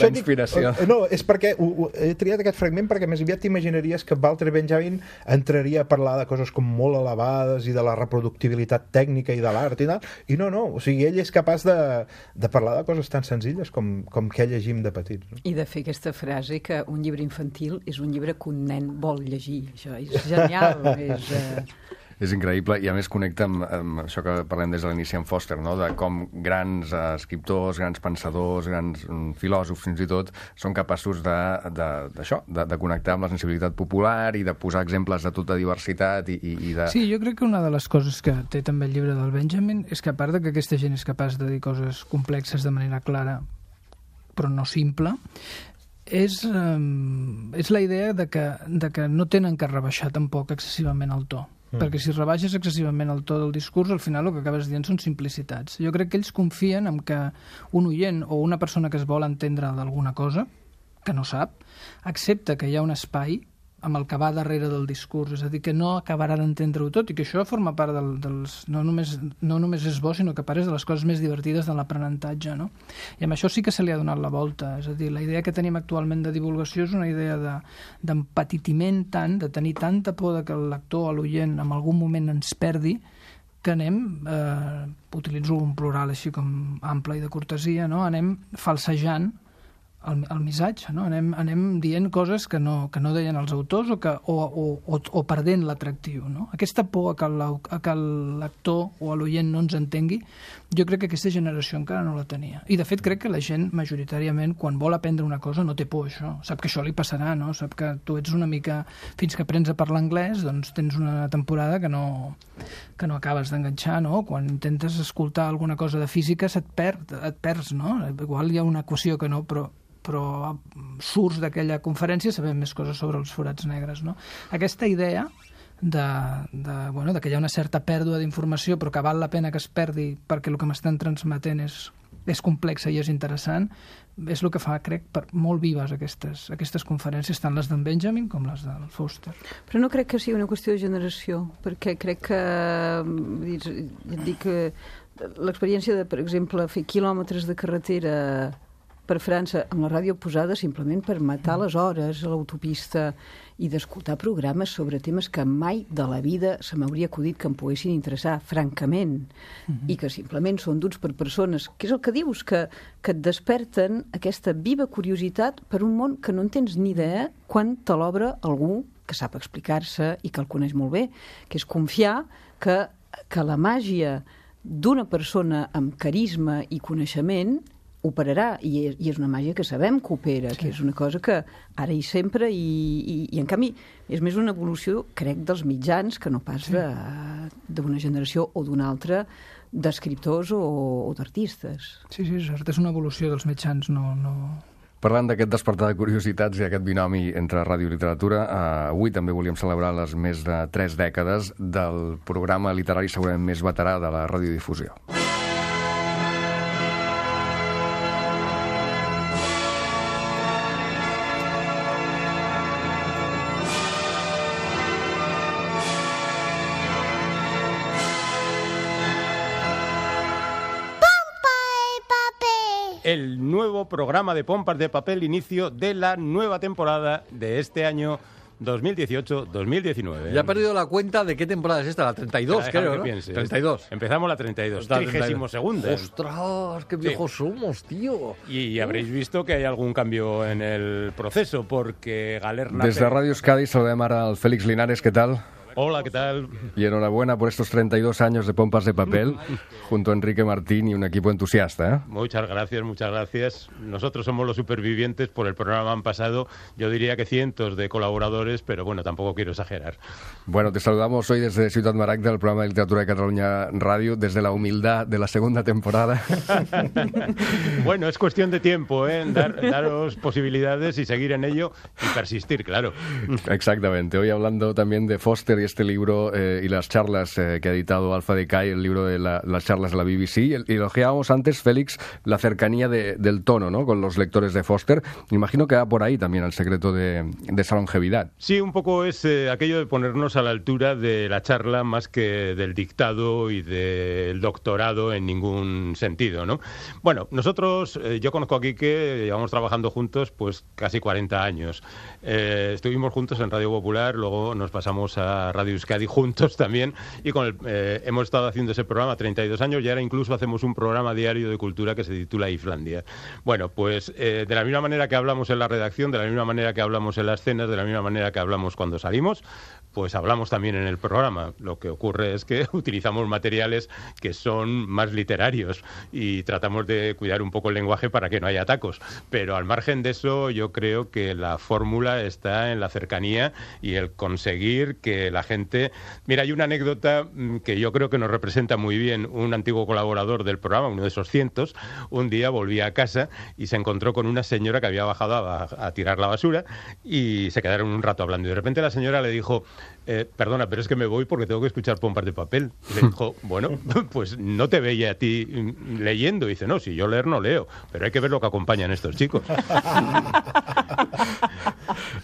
inspiració. No, és perquè he triat aquest fragment perquè més aviat t'imaginaries que Walter Benjamin entraria a parlar de coses com molt elevades i de la reproductibilitat tècnica i de l'art i tal, i no, o sigui, ell és capaç de parlar de coses tan senzilles com que llegim de petits. No? I de fer aquesta frase que un llibre infantil és un llibre que un nen vol llegir. Això és genial. És increïble i a més connecta amb això que parlem des de l'inici amb Foster, no? De com grans escriptors, grans pensadors, grans filòsofs fins i tot són capaços d'això, de connectar amb la sensibilitat popular i de posar exemples de tota diversitat i de... Sí, jo crec que una de les coses que té també el llibre del Benjamin és que a part de que aquesta gent és capaç de dir coses complexes de manera clara però no simple, és la idea de que no tenen que rebaixar tampoc excessivament el to. Perquè si rebaixes excessivament el to del discurs, al final el que acabes dient són simplicitats. Jo crec que ells confien en que un oient o una persona que es vol entendre d'alguna cosa, que no sap, accepta que hi ha un espai amb el que va darrere del discurs, és a dir, que no acabarà d'entendre-ho tot i que això forma part dels... No només és bo, sinó que a part és de les coses més divertides de l'aprenentatge, no? I amb això sí que se li ha donat la volta, és a dir, la idea que tenim actualment de divulgació és una idea d'empetitiment tant, de tenir tanta por de que el lector o l'oient en algun moment ens perdi, que anem, utilitzo un plural així com ample i de cortesia, no? Anem falsejant el missatge, no? Anem dient coses que no deien els autors o perdent l'atractiu, no? Aquesta por a que el lector o l'oient no ens entengui, jo crec que aquesta generació encara no la tenia. I de fet crec que la gent majoritàriament quan vol aprendre una cosa no té por a això, sap que això li passarà, no? Sap que tu ets una mica... Fins que aprens a parlar anglès, doncs tens una temporada que no acabes d'enganxar, no? Quan intentes escoltar alguna cosa de física et perds, no? Igual hi ha una equació que no, però surts d'aquella conferència sabem més coses sobre els forats negres, no? Aquesta idea que hi ha una certa pèrdua d'informació però que val la pena que es perdi perquè el que m'estan transmetent és complexa i és interessant, és el que fa, crec, molt vives aquestes conferències, tant les d'en Benjamin com les del Foster. Però no crec que sigui una qüestió de generació, perquè crec que l'experiència de, per exemple, fer quilòmetres de carretera per França amb la ràdio posada simplement per matar les hores a l'autopista i d'escoltar programes sobre temes que mai de la vida se m'hauria acudit que em poguessin interessar, francament, i que simplement són duts per persones, que és el que dius, que et desperten aquesta viva curiositat per un món que no en tens ni idea quan te l'obre algú que sap explicar-se i que el coneix molt bé, que és confiar que la màgia d'una persona amb carisma i coneixement operarà, i és una màgia que sabem que opera, sí. Que és una cosa que ara i sempre, i en canvi és més una evolució, crec, dels mitjans que no pas d'una generació o d'una altra d'escriptors o d'artistes. Sí, és cert, és una evolució dels mitjans, no... Parlant d'aquest despertar de curiositats i aquest binomi entre ràdio i literatura, avui també volíem celebrar les més de 3 dècades del programa literari segurament més veterà de la radiodifusió. El nuevo programa de Pompas de Papel, inicio de la nueva temporada de este año 2018-2019. Ya he perdido la cuenta de qué temporada es esta, la 32, creo, ¿no? 32. Empezamos la 32, 32ª. ¡Ostras, qué viejos somos, tío! Y habréis visto que hay algún cambio en el proceso, porque Galerna... Desde Radio Euskadi saludem ara al Félix Linares, ¿qué tal? Hola, ¿qué tal? Y enhorabuena por estos 32 años de Pompas de Papel, junto a Enrique Martín y un equipo entusiasta, ¿eh? Muchas gracias, muchas gracias. Nosotros somos los supervivientes, por el programa han pasado, yo diría que cientos de colaboradores, pero bueno, tampoco quiero exagerar. Bueno, te saludamos hoy desde Ciutat Maragda, el programa de literatura de Cataluña Radio, desde la humildad de la segunda temporada. Bueno, es cuestión de tiempo, ¿eh? Daros posibilidades y seguir en ello y persistir, claro. Exactamente. Hoy hablando también de Foster y Xavi, este libro y las charlas que ha editado Alpha Decay, el libro de las charlas de la BBC, y elogiábamos antes, Félix, la cercanía del tono, ¿no?, con los lectores de Foster. Me imagino que va por ahí también el secreto de esa longevidad. Sí, un poco es aquello de ponernos a la altura de la charla más que del dictado y del doctorado en ningún sentido, ¿no? Bueno, nosotros, yo conozco a Quique, llevamos trabajando juntos pues casi 40 años. Estuvimos juntos en Radio Popular, luego nos pasamos a Radio Euskadi juntos también, y hemos estado haciendo ese programa 32 años, y ahora incluso hacemos un programa diario de cultura que se titula Islandia. Bueno, pues de la misma manera que hablamos en la redacción, de la misma manera que hablamos en las cenas, de la misma manera que hablamos cuando salimos, pues hablamos también en el programa. Lo que ocurre es que utilizamos materiales que son más literarios y tratamos de cuidar un poco el lenguaje para que no haya tacos. Pero al margen de eso, yo creo que la fórmula está en la cercanía y el conseguir que la gente... Mira, hay una anécdota que yo creo que nos representa muy bien. Un antiguo colaborador del programa, uno de esos cientos, un día volvía a casa y se encontró con una señora que había bajado a tirar la basura, y se quedaron un rato hablando. Y de repente la señora le dijo... perdona, pero es que me voy porque tengo que escuchar Pompas de Papel. Y le dijo, bueno, pues no te veía a ti leyendo. Y dice, no, si yo leer no leo, pero hay que ver lo que acompañan estos chicos.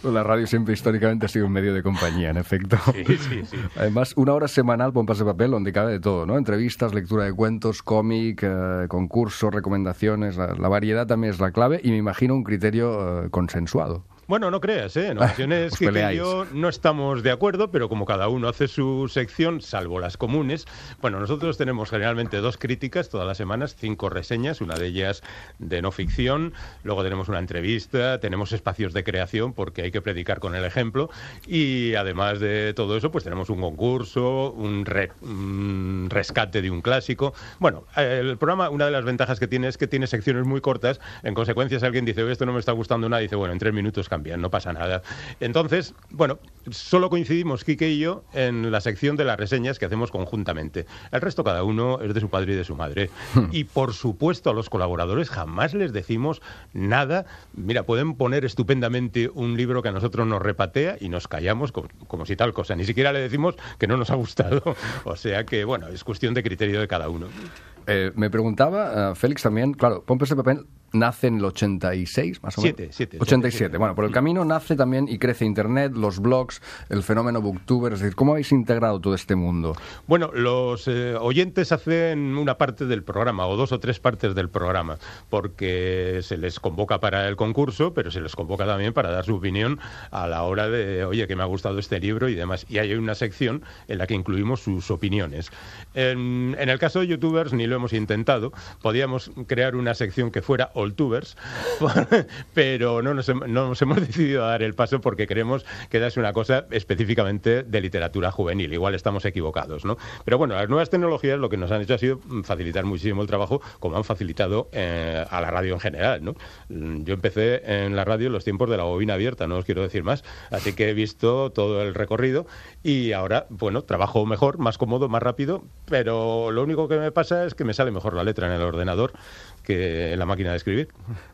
La radio siempre históricamente ha sido un medio de compañía, en efecto. Sí. Además, una hora semanal, Pompas de Papel, donde cabe de todo, ¿no? Entrevistas, lectura de cuentos, cómic, concursos, recomendaciones. La variedad también es la clave, y me imagino un criterio consensuado. Bueno, no creas, en ocasiones que y yo no estamos de acuerdo, pero como cada uno hace su sección, salvo las comunes, bueno, nosotros tenemos generalmente 2 críticas todas las semanas, 5 reseñas, una de ellas de no ficción, luego tenemos una entrevista, tenemos espacios de creación porque hay que predicar con el ejemplo, y además de todo eso, pues tenemos un concurso, un rescate de un clásico. Bueno, el programa, una de las ventajas que tiene es que tiene secciones muy cortas. En consecuencia, si alguien dice, oye, esto no me está gustando nada, dice, bueno, en 3 minutos cambian, no pasa nada. Entonces, bueno, solo coincidimos Quique y yo en la sección de las reseñas que hacemos conjuntamente. El resto, cada uno es de su padre y de su madre. Y por supuesto, a los colaboradores jamás les decimos nada. Mira, pueden poner estupendamente un libro que a nosotros nos repatea y nos callamos como si tal cosa. Ni siquiera le decimos que no nos ha gustado. O sea que, bueno, es cuestión de criterio de cada uno. Me preguntaba, Félix, también, claro, Pompas de Papel nace en el 86, más o menos. 87. Bueno, por el camino nace también y crece Internet, los blogs, el fenómeno Booktuber. Es decir, ¿cómo habéis integrado todo este mundo? Bueno, los oyentes hacen una parte del programa, o 2 o 3 partes del programa, porque se les convoca para el concurso, pero se les convoca también para dar su opinión a la hora de, oye, que me ha gustado este libro y demás. Y hay una sección en la que incluimos sus opiniones. En el caso de YouTubers, ni lo hemos intentado. Podíamos crear una sección que fuera Alltubers, pero no nos hemos decidido a dar el paso porque creemos que es una cosa específicamente de literatura juvenil. Igual estamos equivocados, ¿no? Pero bueno, las nuevas tecnologías lo que nos han hecho ha sido facilitar muchísimo el trabajo, como han facilitado a la radio en general, ¿no? Yo empecé en la radio en los tiempos de la bobina abierta, no os quiero decir más, así que he visto todo el recorrido y ahora, bueno, trabajo mejor, más cómodo, más rápido, pero lo único que me pasa es que me sale mejor la letra en el ordenador que en la máquina de escribir.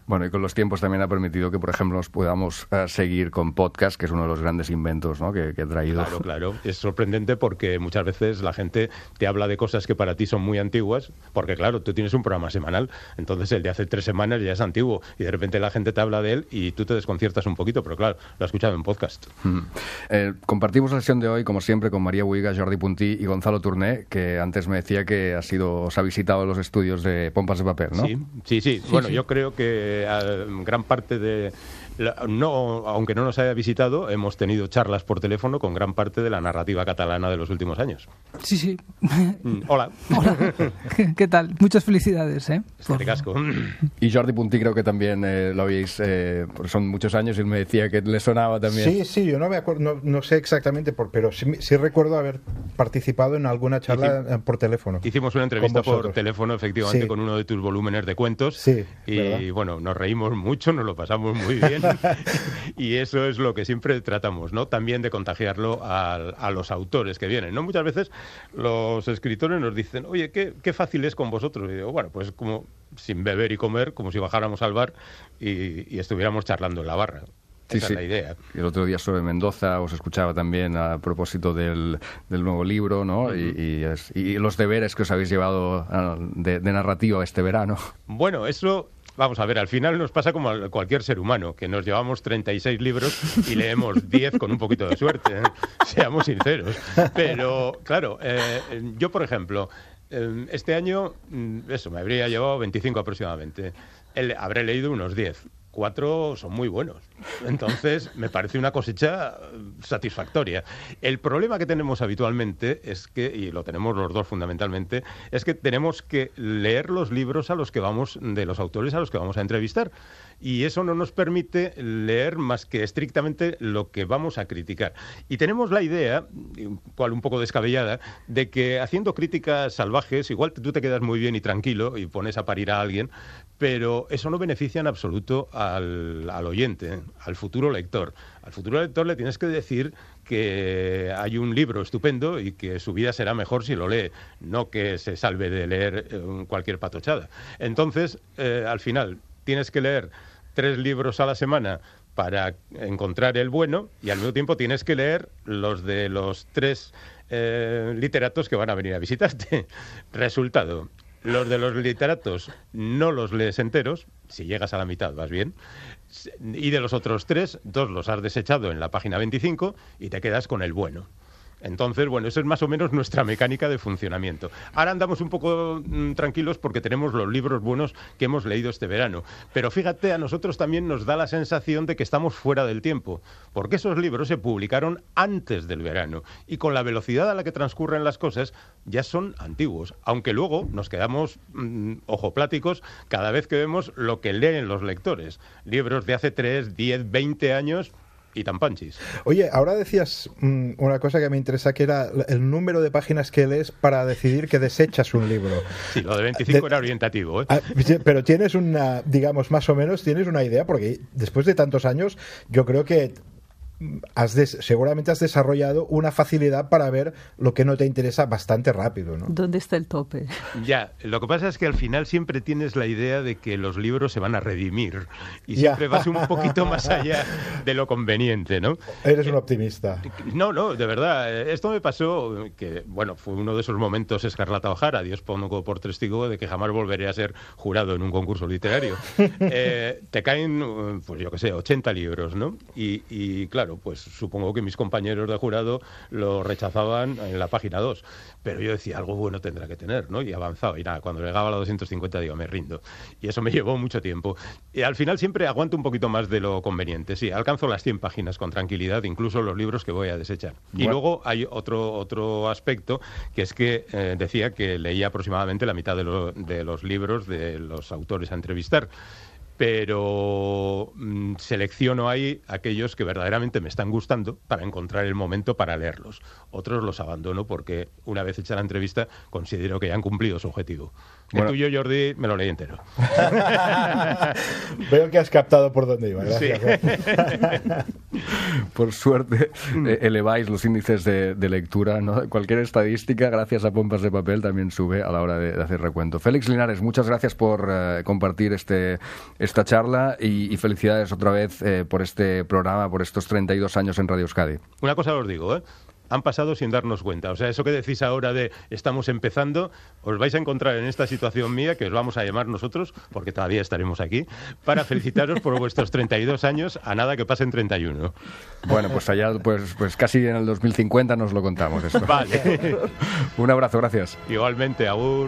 Bueno, y con los tiempos también ha permitido que, por ejemplo, nos podamos seguir con podcast, que es uno de los grandes inventos, ¿no?, que ha traído. Claro. Es sorprendente porque muchas veces la gente te habla de cosas que para ti son muy antiguas, porque claro, tú tienes un programa semanal, entonces el de hace 3 semanas ya es antiguo, y de repente la gente te habla de él y tú te desconciertas un poquito, pero claro, lo has escuchado en podcast. Compartimos la sesión de hoy, como siempre, con María Buiga, Jordi Puntí y Gonzalo Turné, que antes me decía que os ha visitado los estudios de Pompas de Papel, ¿no? Sí. Bueno, yo creo que gran parte de... aunque no nos haya visitado, hemos tenido charlas por teléfono con gran parte de la narrativa catalana de los últimos años. Sí. Hola. ¿Qué tal? Muchas felicidades, ¿eh? Este casco. Y Jordi Puntí creo que también lo habéis... son muchos años y él me decía que le sonaba también. Sí, yo no me acuerdo, no sé exactamente, pero sí recuerdo haber participado en alguna charla por teléfono. Hicimos una entrevista por teléfono, efectivamente, con uno de tus volúmenes de cuentos. Sí, y ¿verdad? Bueno, nos reímos mucho, nos lo pasamos muy bien. Y eso es lo que siempre tratamos, ¿no? También de contagiarlo a los autores que vienen, ¿no? Muchas veces los escritores nos dicen, oye, qué fácil es con vosotros. Y digo, bueno, pues como sin beber y comer, como si bajáramos al bar y estuviéramos charlando en la barra. Sí, esa es la idea. El otro día sobre Mendoza os escuchaba también a propósito del nuevo libro, ¿no? Y los deberes que os habéis llevado de narrativa este verano. Bueno, eso... Vamos a ver, al final nos pasa como a cualquier ser humano, que nos llevamos 36 libros y leemos 10 con un poquito de suerte, ¿eh? Seamos sinceros. Pero, claro, yo, por ejemplo, este año, me habría llevado 25 aproximadamente. Habré leído unos 10. 4 son muy buenos. Entonces, me parece una cosecha satisfactoria. El problema que tenemos habitualmente es que, y lo tenemos los dos fundamentalmente, es que tenemos que leer los libros de los autores a los que vamos a entrevistar. Y eso no nos permite leer más que estrictamente lo que vamos a criticar. Y tenemos la idea, cual un poco descabellada, de que haciendo críticas salvajes, igual tú te quedas muy bien y tranquilo y pones a parir a alguien, pero eso no beneficia en absoluto al oyente, al futuro lector. Al futuro lector le tienes que decir que hay un libro estupendo y que su vida será mejor si lo lee, no que se salve de leer cualquier patochada. Entonces, al final, tienes que leer 3 libros a la semana para encontrar el bueno y al mismo tiempo tienes que leer los de los 3 literatos que van a venir a visitarte. Resultado, los de los literatos no los lees enteros, si llegas a la mitad vas bien, y de los otros 3, 2 los has desechado en la página 25 y te quedas con el bueno. Entonces, bueno, eso es más o menos nuestra mecánica de funcionamiento. Ahora andamos un poco tranquilos porque tenemos los libros buenos que hemos leído este verano. Pero fíjate, a nosotros también nos da la sensación de que estamos fuera del tiempo, porque esos libros se publicaron antes del verano y con la velocidad a la que transcurren las cosas ya son antiguos, aunque luego nos quedamos ojopláticos cada vez que vemos lo que leen los lectores. Libros de hace 3, 10, 20 años... y tan panchis. Oye, ahora decías una cosa que me interesa, que era el número de páginas que lees para decidir que desechas un libro. Sí, lo de 25 era orientativo, ¿eh? Pero tienes una, digamos, más o menos, tienes una idea, porque después de tantos años, yo creo que seguramente has desarrollado una facilidad para ver lo que no te interesa bastante rápido, ¿no? ¿Dónde está el tope? Ya, lo que pasa es que al final siempre tienes la idea de que los libros se van a redimir y siempre vas un poquito más allá de lo conveniente, ¿no? Eres un optimista. No, de verdad. Esto me pasó, que bueno, fue uno de esos momentos Escarlata O'Hara, Dios pongo por testigo de que jamás volveré a ser jurado en un concurso literario. Te caen, pues yo qué sé, 80 libros, ¿no? Y claro, pues supongo que mis compañeros de jurado lo rechazaban en la página 2, pero yo decía, algo bueno tendrá que tener, ¿no? Y avanzaba, y nada, cuando llegaba a la 250 digo, me rindo. Y eso me llevó mucho tiempo. Y al final siempre aguanto un poquito más de lo conveniente, sí, alcanzo las 100 páginas con tranquilidad, incluso los libros que voy a desechar. Y luego hay otro aspecto, que es que decía que leía aproximadamente la mitad de los libros de los autores a entrevistar, pero selecciono ahí aquellos que verdaderamente me están gustando para encontrar el momento para leerlos. Otros los abandono porque una vez hecha la entrevista considero que ya han cumplido su objetivo. El tuyo, Jordi, me lo leí entero. Veo que has captado por dónde iba. Gracias. Sí. Por suerte, eleváis los índices de lectura, ¿no? Cualquier estadística, gracias a Pompas de Papel, también sube a la hora de hacer recuento. Félix Linares, muchas gracias por compartir esta charla y felicidades otra vez por este programa, por estos 32 años en Radio Euskadi. Una cosa os digo, han pasado sin darnos cuenta. O sea, eso que decís ahora de estamos empezando, os vais a encontrar en esta situación mía, que os vamos a llamar nosotros, porque todavía estaremos aquí, para felicitaros por vuestros 32 años, a nada que pasen 31. Bueno, pues allá, pues casi en el 2050 nos lo contamos esto. Vale. Un abrazo, gracias. Igualmente, agur.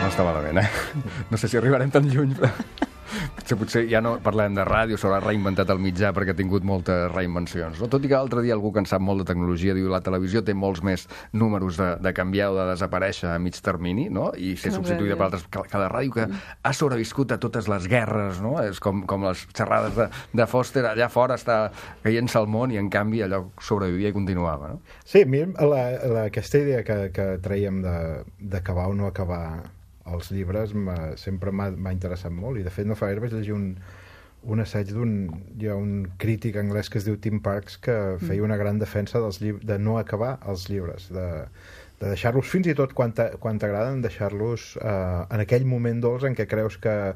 No estava malament, No sé si arribarem tan lluny, però... Potser ja no parlem de ràdio, s'haurà reinventat el mitjà perquè ha tingut moltes reinvencions. No? Tot i que l'altre dia algú que en sap molt de tecnologia diu que la televisió té molts més números de canviar o de desaparèixer a mig termini, no? I ser substituïda per altres. Que la ràdio que ha sobreviscut a totes les guerres, no? És com les xerrades de Foster, allà fora està caient-se al món i en canvi allò sobrevivia i continuava, no? Sí, a mi aquesta idea que traiem d'acabar o no acabar els llibres sempre m'ha interessat molt, i de fet no fa gaire vaig llegir un assaig hi ha un crític anglès que es diu Tim Parks que feia una gran defensa de no acabar els llibres, de deixar-los fins i tot quan t'agraden, deixar-los en aquell moment dolç en què creus que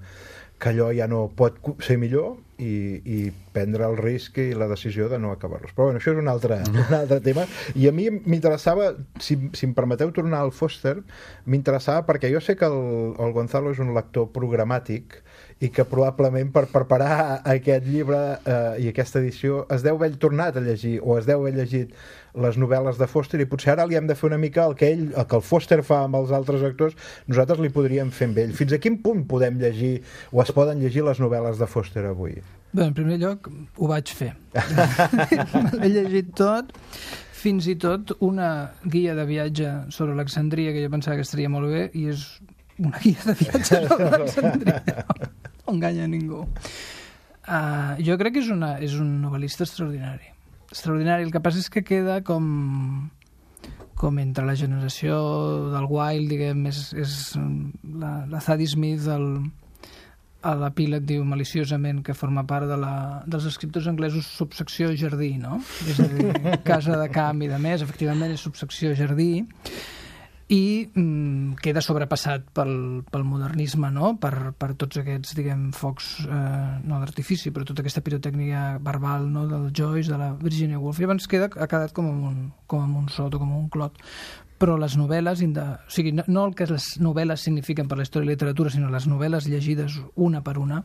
que allò ja no pot ser millor i prendre el risc i la decisió de no acabar-los. Però bueno, això és un altre tema. I a mi m'interessava, si em permeteu tornar al Foster, m'interessava perquè jo sé que el Gonzalo és un lector programàtic i que probablement per preparar aquest llibre i aquesta edició es deu haver tornat a llegir o es deu haver llegit les novel·les de Foster i potser ara li hem de fer una mica el que el Foster fa amb els altres actors, nosaltres li podríem fer amb ell. Fins a quin punt podem llegir o es poden llegir les novel·les de Foster avui? Bé, en primer lloc, ho vaig fer. L'he llegit tot, fins i tot una guia de viatge sobre Alexandria, que jo pensava que estaria molt bé, i és una guia de viatge sobre Alexandria. No enganya ningú. Jo crec que és un novel·lista extraordinari. Extraordinari. El que passa és que queda com entre la generació del Wilde, diguem, és la Zadie Smith, a l'epíleg diu maliciosament que forma part dels escriptors anglesos subsecció jardí, no? És a dir, casa de camp i de més, efectivament és subsecció jardí, i queda sobrepassat pel modernisme, no? Per tots aquests, diguem, focs, no d'artifici, però tota aquesta pirotècnica verbal, no? Del Joyce, de la Virginia Woolf. Llavors ha quedat com amb un sot o com un clot. Però les novel·les, o sigui, no el que les novel·les signifiquen per la història i la literatura, sinó les novel·les llegides una per una,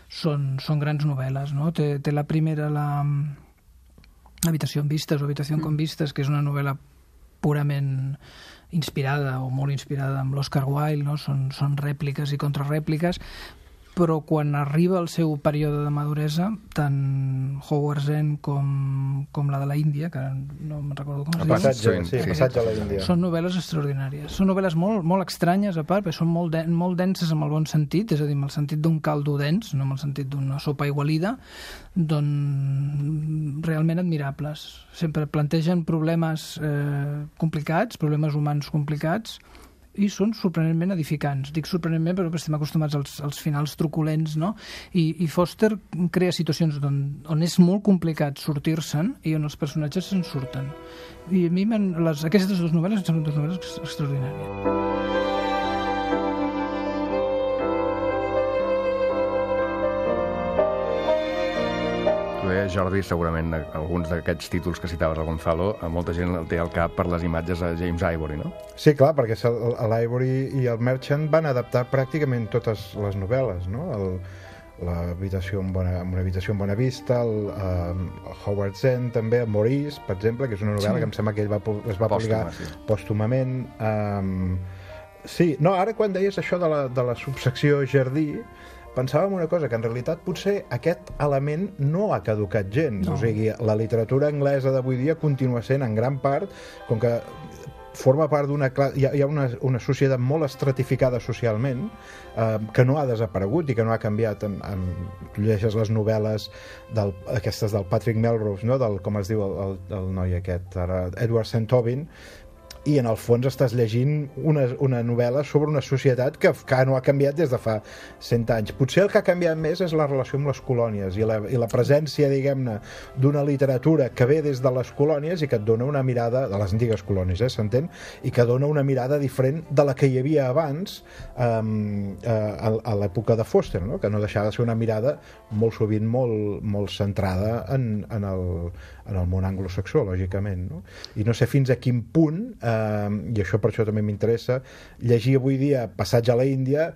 són grans novel·les, no? Té la primera, l'Habitació amb vistes o Habitació con vistes, que és una novel·la purament inspirada o molt inspirada amb l'Oscar Wilde, no? Són rèpliques i contrarèpliques, però quan arriba el seu període de maduresa, tant Howard's End com la de la Índia, que no me'n recordo com es diu. Passatge a la Índia. Són novel·les extraordinàries. Són novel·les molt, molt estranyes, a part, perquè són molt denses amb el bon sentit, és a dir, amb el sentit d'un caldo dens, no amb el sentit d'una sopa aigualida, realment admirables. Sempre plantegen problemes complicats, problemes humans complicats, i són sorprenentment edificants. Dic sorprenentment perquè estem acostumats als finals truculents, no? I Foster crea situacions on és molt complicat sortir-se'n i on els personatges se'n surten. I a mi aquestes dues novel·les són dues novel·les extraordinàries. Jordi, segurament alguns d'aquests títols que citaves al Gonzalo, molta gent el té al cap per les imatges de James Ivory, no? Sí, clar, perquè l'Ivory i el Merchant van adaptar pràcticament totes les novel·les, no? L'habitació amb una habitació amb bona vista, el Howard's End també, el Maurice, per exemple, que és una novel·la que em sembla que ell es va publicar pòstumament. Sí, no, ara quan deies això de la subsecció jardí, pensàvem una cosa, que en realitat potser aquest element no ha caducat gens. No. O sigui, la literatura anglesa d'avui dia continua sent en gran part, com que forma part d'una classe... Hi ha una societat molt estratificada socialment, que no ha desaparegut i que no ha canviat. Llegeixes les novel·les aquestes del Patrick Melrose, no? Com es diu el noi aquest, ara, Edward St. Aubyn, i en el fons estàs llegint una novel·la sobre una societat que no ha canviat des de fa 100 anys. Potser el que ha canviat més és la relació amb les colònies i la presència, diguem-ne, d'una literatura que ve des de les colònies i que et dona una mirada, de les antigues colònies, s'entén, i que dona una mirada diferent de la que hi havia abans a l'època de Foster, no? Que no deixava de ser una mirada molt sovint molt centrada en el món anglosaxó, lògicament, no? I no sé fins a quin punt, i això per això també m'interessa, llegir avui dia Passatge a la Índia,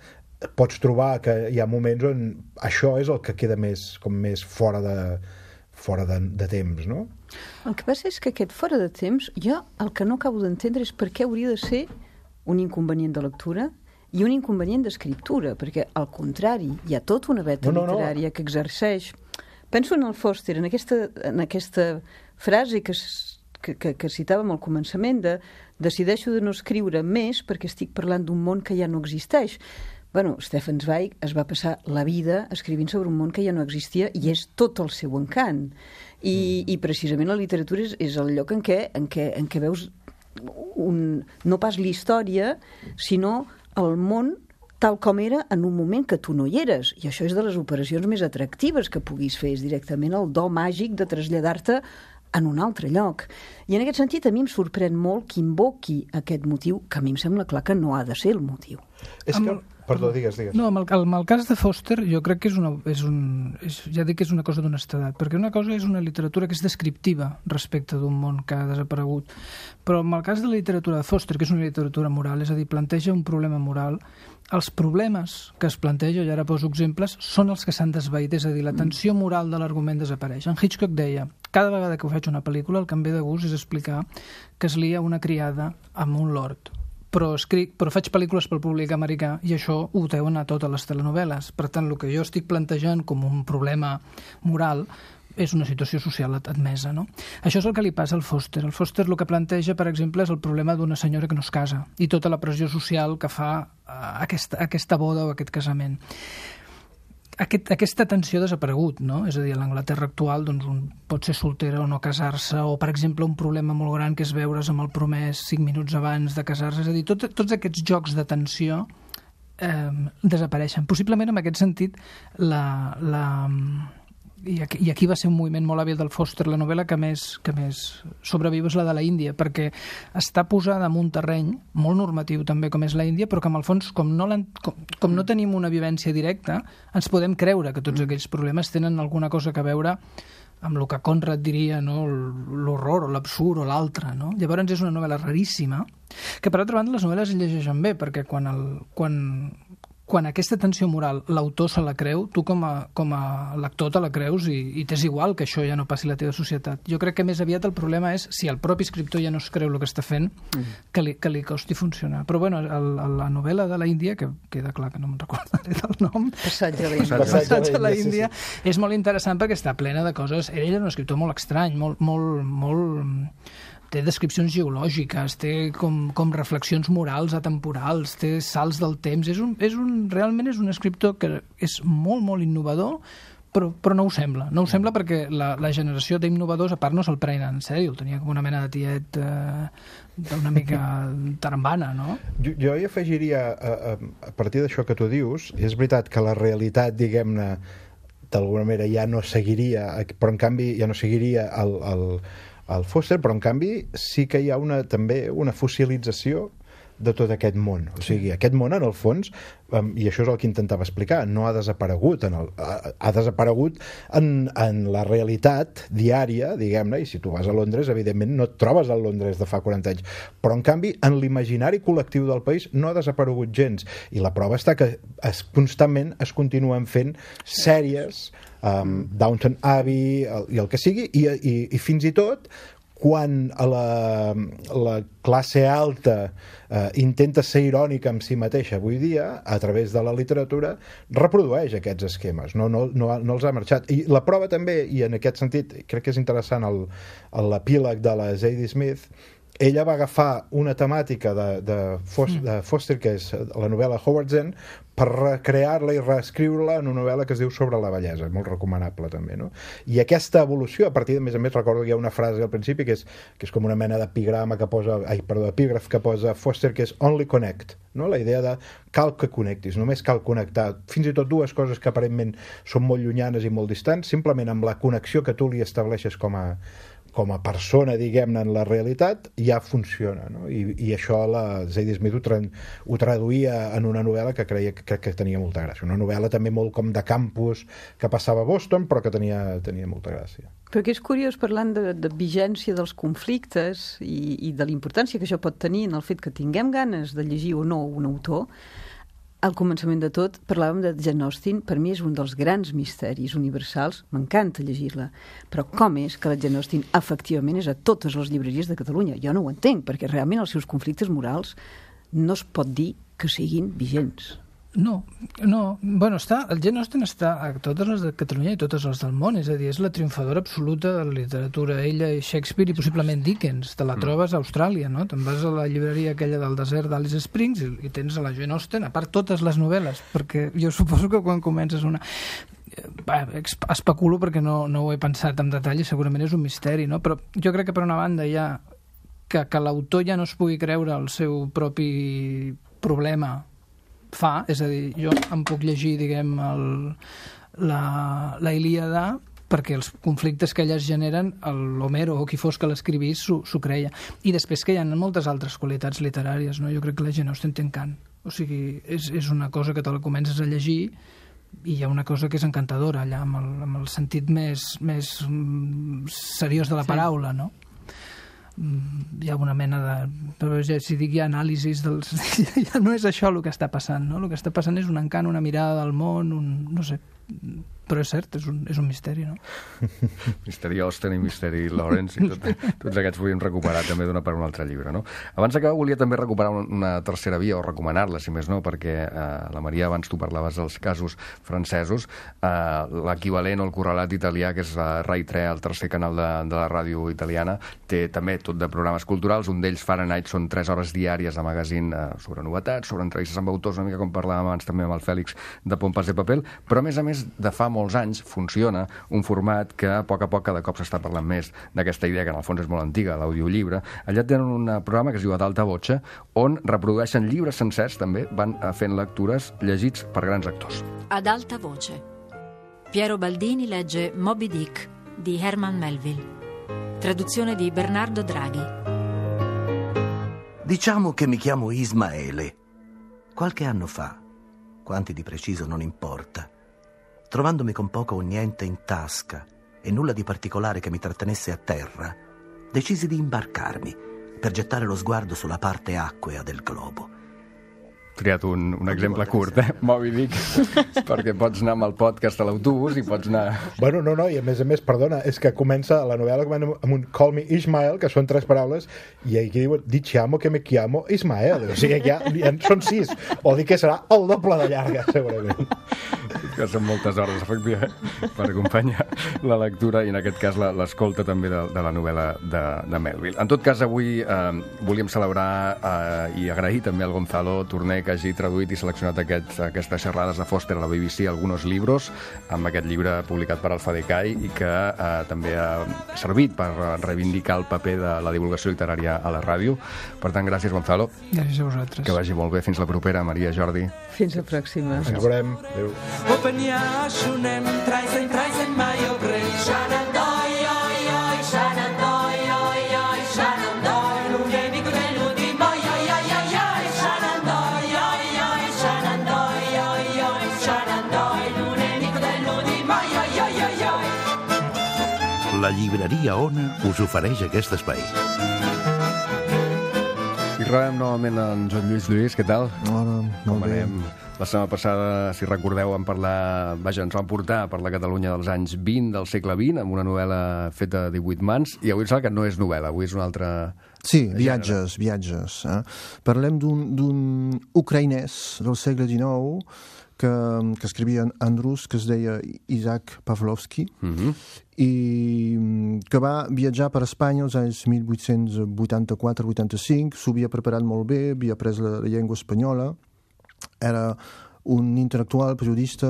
pots trobar que hi ha moments on això és el que queda més fora de temps, no? El que passa és que aquest fora de temps, jo el que no acabo d'entendre és per què hauria de ser un inconvenient de lectura i un inconvenient d'escriptura, perquè al contrari, hi ha tota una veta literària que exerceix. Penso en el Foster, en aquesta frase que citàvem al començament de decideixo de no escriure més perquè estic parlant d'un món que ja no existeix. Bueno, Stefan Zweig es va passar la vida escrivint sobre un món que ja no existia i és tot el seu encant. I precisament la literatura és el lloc en què veus no pas la història, sinó el món tal com era en un moment que tu no hi eres. I això és de les operacions més atractives que puguis fer, és directament el do màgic de traslladar-te en un altre lloc. I en aquest sentit a mi em sorprèn molt que invoqui aquest motiu, que a mi em sembla clar que no ha de ser el motiu. Perdó, digues. No, amb el cas de Foster jo crec que ja dic que és una cosa d'honestedat, perquè una cosa és una literatura que és descriptiva respecte d'un món que ha desaparegut, però amb el cas de la literatura de Foster, que és una literatura moral, és a dir, planteja un problema moral, els problemes que es planteja, i ara poso exemples, són els que s'han desvaït, és a dir, la tensió moral de l'argument desapareix. En Hitchcock deia, cada vegada que faig una pel·lícula el que em ve de gust és explicar que es lia una criada amb un lord, però faig pel·lícules pel públic americà i això ho deuen a totes les telenovel·les. Per tant, el que jo estic plantejant com un problema moral és una situació social admesa, no? Això és el que li passa al Foster. El Foster el que planteja, per exemple, és el problema d'una senyora que no es casa i tota la pressió social que fa aquesta boda o aquest casament. Aquesta tensió ha desaparegut, no? És a dir, a l'Anglaterra actual doncs, un pot ser soltera o no casar-se, o, per exemple, un problema molt gran que és veure's amb el promès 5 minuts abans de casar-se. És a dir, tots aquests jocs de tensió desapareixen. Possiblement, en aquest sentit, i aquí va ser un moviment molt hàbil del Foster, la novel·la que més sobreviu és la de la Índia, perquè està posada en un terreny molt normatiu també com és la Índia, però que en el fons com no tenim una vivència directa ens podem creure que tots aquells problemes tenen alguna cosa a veure amb el que Conrad diria, no? L'horror o l'absurd o l'altre, no? Llavors és una novel·la raríssima que per altra banda les novel·les es llegeixen bé, perquè quan aquesta tensió moral l'autor se la creu, tu com a lector te la creus i t'és igual que això ja no passi a la teva societat. Jo crec que més aviat el problema és si el propi escriptor ja no es creu el que està fent, que li costi funcionar. Però bueno, la novel·la de la Índia, que queda clar que no me'n recordaré del nom, Passatge a la Índia, és molt interessant perquè està plena de coses. Ell era un escriptor molt estrany, molt té descripcions geològiques, té com reflexions morals atemporals, té salts del temps. Realment és un escriptor que és molt, molt innovador, però no ho sembla. No ho sembla perquè la generació d'innovadors, a part, no se'l prenen en sèrio. El tenia com una mena de tiet una mica tarambana, no? Jo hi afegiria, a partir d'això que tu dius, és veritat que la realitat, diguem-ne, d'alguna manera ja no seguiria, però en canvi ja no seguiria el Foster, però en canvi sí que hi ha també una fossilització de tot aquest món. O sigui, aquest món, en el fons, i això és el que intentava explicar, no ha desaparegut. Ha desaparegut en la realitat diària, diguem-ne, i si tu vas a Londres, evidentment no et trobes al Londres de fa 40 anys. Però, en canvi, en l'imaginari col·lectiu del país no ha desaparegut gens. I la prova està que constantment es continuen fent sèries, Downton Abbey i el que sigui, i fins i tot quan la classe alta intenta ser irònica amb si mateixa avui dia, a través de la literatura, reprodueix aquests esquemes, no els ha marxat. I la prova també, i en aquest sentit crec que és interessant l'epíleg de la Zadie Smith, ella va agafar una temàtica de Foster, que és la novel·la Howard's End, per recrear-la i reescriure-la en una novel·la que es diu Sobre la bellesa, molt recomanable també, no? I aquesta evolució, a partir de, a més, recordo que hi ha una frase al principi que és com una mena d'epigrama epígraf que posa Foster, que és only connect, no? La idea de cal que connectis, només cal connectar fins i tot dues coses que aparentment són molt llunyanes i molt distants, simplement amb la connexió que tu li estableixes com a persona, diguem-ne, en la realitat, ja funciona, no? I això la Zadie Smith ho traduïa en una novel·la que crec que tenia molta gràcia. Una novel·la també molt com de campus que passava a Boston, però que tenia molta gràcia. Però que és curiós, parlant de vigència dels conflictes i de la importància que això pot tenir en el fet que tinguem ganes de llegir o no un autor. Al començament de tot, parlàvem de Jane Austen. Per mi és un dels grans misteris universals. M'encanta llegir-la. Però com és que la Jane Austen efectivament és a totes les llibreries de Catalunya? Jo no ho entenc, perquè realment els seus conflictes morals no es pot dir que siguin vigents. No. Bueno, el Jane Austen està a totes les de Catalunya i totes les del món, és a dir, és la triomfadora absoluta de la literatura. Ella i Shakespeare i possiblement Dickens. Te la trobes a Austràlia, no? Te'n vas a la llibreria aquella del desert d'Alice Springs i tens a la Jane Austen, a part totes les novel·les, perquè jo suposo que quan comences una... especulo perquè no ho he pensat en detall i segurament és un misteri, no? Però jo crec que per una banda hi ha que l'autor ja no es pugui creure el seu propi problema és a dir, jo em puc llegir, diguem, la Ilíada perquè els conflictes que elles generen, l'Homero o qui fos que l'escrivís s'ho creia. I després que hi ha moltes altres qualitats literàries, no? Jo crec que la Jane Austen té encant. O sigui, és una cosa que te la comences a llegir i hi ha una cosa que és encantadora allà, amb el sentit més seriós de la paraula, no? Hi ha una mena de... Però si dic hi ha anàlisis dels... ja no és això el que està passant, no? El que està passant és un encant, una mirada del món, no sé... Però és cert, és un misteri, no? Misteri Austen i Misteri Lawrence, i tots aquests podríem recuperar també d'una per un altre llibre, no? Abans d'acabar, volia també recuperar una tercera via, o recomanar-la, si més no, perquè la Maria, abans tu parlaves dels casos francesos, l'equivalent o el correlat italià, que és Rai 3, el tercer canal de la ràdio italiana, té també tot de programes culturals, un d'ells, Fahrenheit, són 3 hores diàries de magazín sobre novetats, sobre entrevistes amb autors, una mica com parlàvem abans també amb el Fèlix de Pompas de Paper, però a més, de fa molts anys funciona un format que a poc cada cop s'està parlant més d'aquesta idea, que en el fons és molt antiga, l'audiollibre. Allà tenen un programa que es diu A d'alta voce, on reprodueixen llibres sencers, també van fent lectures llegits per grans actors. Ad alta voce. Piero Baldini legge Moby Dick di Herman Melville. Traduzione di Bernardo Draghi. Diciamo che mi chiamo Ismaele. Qualche anno fa, quanti di preciso non importa, trovandomi con poco o niente in tasca e nulla di particolare che mi trattenesse a terra, decisi di imbarcarmi per gettare lo sguardo sulla parte acquea del globo. Triat un exemple curt, Moby Dick, perquè pots anar amb el podcast a l'autobús i pots anar... Bueno, no, i a més, perdona, és que comença la novel·la amb un Call me Ismael, que són 3 paraules, i aquí diuen, diciamo que me chiamo Ismael. O sigui, ja són 6. O dir que serà el doble de llarga, segurament. Que són moltes hores, efectivament, per acompanyar la lectura i, en aquest cas, l'escolta també de la novel·la de Melville. En tot cas, avui volíem celebrar i agrair també al Gonzalo Torné que hagi traduït i seleccionat aquestes xerrades de Foster a la BBC, Algunos libros, amb aquest llibre publicat per Alfadecai i que també ha servit per reivindicar el paper de la divulgació literària a la ràdio. Per tant, gràcies, Gonzalo. Gràcies a vosaltres. Que vagi molt bé. Fins la propera, Maria, Jordi. Fins la pròxima. Ens veurem. Adéu. La llibreria Ona us ofereix aquest espai. I rebem novament en Joan Lluís. Què tal? Hola, molt bé. La setmana passada, si recordeu, ens van portar per la Catalunya dels anys 20 del segle XX, amb una novel·la feta a 18 mans, i avui sembla que no és novel·la, avui és una altra... Sí, viatges. Parlem d'un ucraïnès del segle XIX que escrivia en rus, que es deia Isaac Pavlovsky, i que va viatjar per Espanya als anys 1884-85, s'ho havia preparat molt bé, havia après la llengua espanyola, era un intel·lectual, periodista,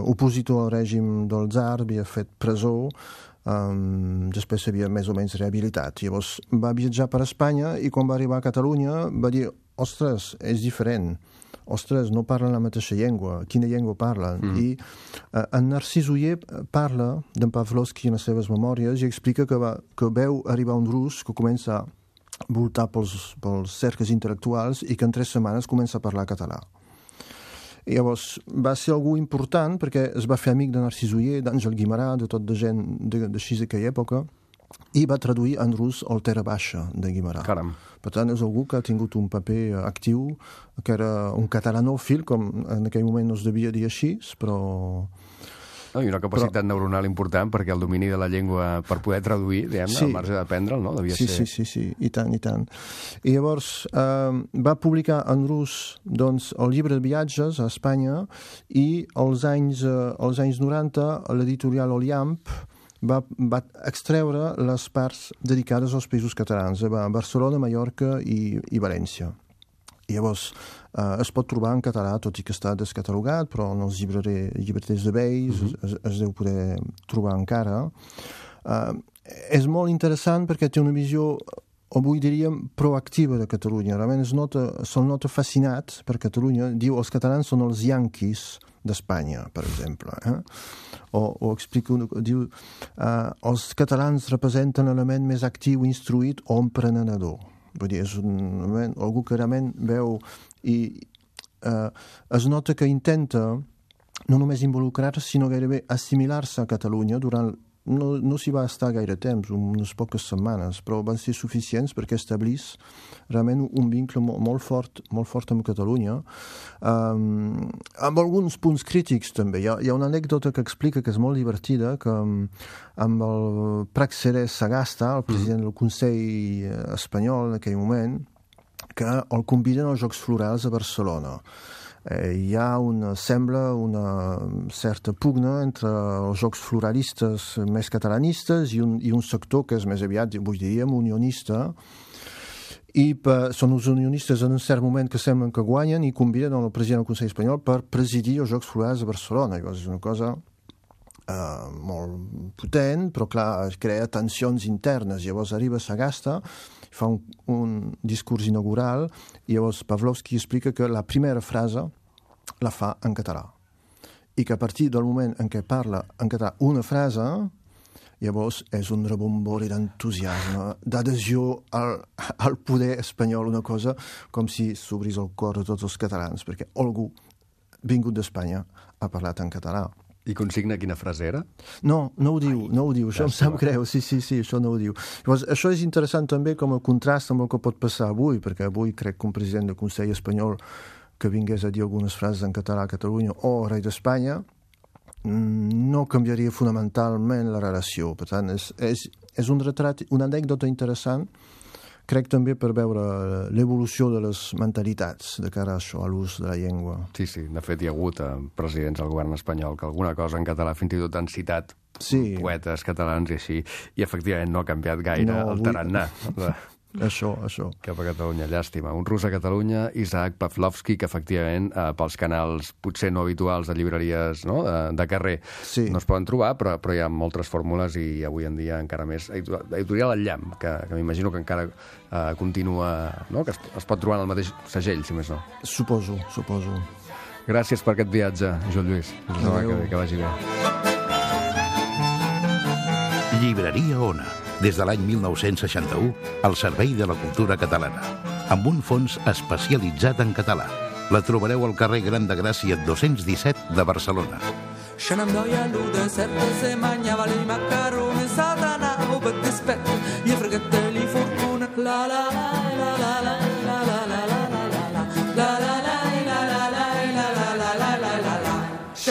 opositor al règim del tsar, havia fet presó, després s'havia més o menys rehabilitat. Llavors va viatjar per Espanya i quan va arribar a Catalunya va dir, ostres, és diferent. Ostres, no parlen la mateixa llengua. Quina llengua parlen? I en Narcís Oller parla d'en Pavlovsky en les seves memòries i explica que veu arribar un rus que comença a voltar pels cercles intel·lectuals i que en 3 setmanes comença a parlar català. I llavors va ser algú important perquè es va fer amic de Narcís Oller, d'Àngel Guimerà, de tot de gent d'així d'aquella època, i va traduir en rus el Terra Baixa de Guimerà. Caram. Per tant, és algú que ha tingut un paper actiu, que era un catalanòfil, com en aquell moment no es devia dir així, però... I una capacitat neuronal important, perquè el domini de la llengua per poder traduir, diguem-ne, al marge d'aprendre'l, no? Devia ser... Sí, i tant. I llavors va publicar en rus doncs, el llibre de viatges a Espanya i als anys 90 l'editorial Oliamp va extreure les parts dedicades als països catalans, a Barcelona, Mallorca i València. I llavors es pot trobar en català, tot i que està descatalogat, però en els llibreters de Beis es deu poder trobar encara. És molt interessant perquè té una visió, avui diríem, proactiva de Catalunya. Realment se'l nota fascinat per Catalunya. Diu, els catalans són els yanquis d'Espanya, per exemple. O explica, diu, els catalans representen l'element més actiu, instruït o emprenedor. Vull dir, és algú que realment veu i es nota que intenta no només involucrar-se, sinó gairebé assimilar-se a Catalunya durant... No s'hi va estar gaire temps, unes poques setmanes, però van ser suficients perquè establís realment un vincle molt fort amb Catalunya, amb alguns punts crítics també. Hi ha una anècdota que explica que és molt divertida, que amb el Praxedes Sagasta, el president del Consell espanyol en aquell moment, que el conviden als Jocs Florals a Barcelona. Hi ha sembla una certa pugna entre els jocs floralistes més catalanistes i un sector que és més aviat, diríem, unionista, i són els unionistes en un cert moment que semblen que guanyen i conviden el president del Consell espanyol per presidir els Jocs Florals a Barcelona. Llavors és una cosa molt potent, però clar, es crea tensions internes. Llavors arriba Sagasta, fa un discurs inaugural, i llavors Pavlovsky explica que la primera frase la fa en català, i que a partir del moment en què parla en català una frase, llavors és un rebombori d'entusiasme, d'adhesió al poder espanyol, una cosa com si s'obrís el cor a tots els catalans, perquè algú vingut d'Espanya ha parlat en català. I consigna quina frase era? No ho diu, això em sap greu, sí, això no ho diu. Llavors, això és interessant també com a contrast amb el que pot passar avui, perquè avui crec que un president del Consell espanyol que vingués a dir algunes frases en català a Catalunya o rei d'Espanya no canviaria fonamentalment la relació. Per tant, és un retrat, una anècdota interessant, crec també per veure l'evolució de les mentalitats de cara a això, a l'ús de la llengua. Sí, de fet hi ha hagut presidents del govern espanyol que alguna cosa en català fins i tot han citat poetes catalans i així, i efectivament no ha canviat gaire el tarannà. Això. Cap a Catalunya, llàstima. Un rus a Catalunya, Isaac Pavlovsky, que efectivament pels canals potser no habituals de llibreries de carrer no es poden trobar, però hi ha moltes fórmules i avui en dia encara més. Editorial El Llamp, que m'imagino que encara continua, que es pot trobar en el mateix segell, si més no. Suposo. Gràcies per aquest viatge, Joan Lluís. Que vagi bé. Llibreria Ona, des de l'any 1961, al servei de la cultura catalana, amb un fons especialitzat en català. La trobareu al carrer Gran de Gràcia 217 de Barcelona.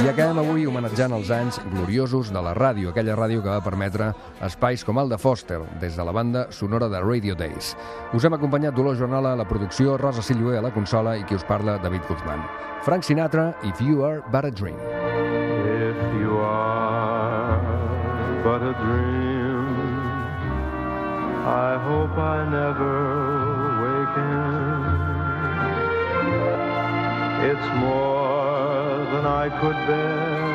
I acabem avui homenatjant els anys gloriosos de la ràdio, aquella ràdio que va permetre espais com el de Foster, des de la banda sonora de Radio Days. Us hem acompanyat Dolors Joanola a la producció, Rosa Sillué a la consola i qui us parla, David Guzmán. Frank Sinatra, If You Are But a Dream. If you are but a dream, I hope I never waken. It's more than I could bear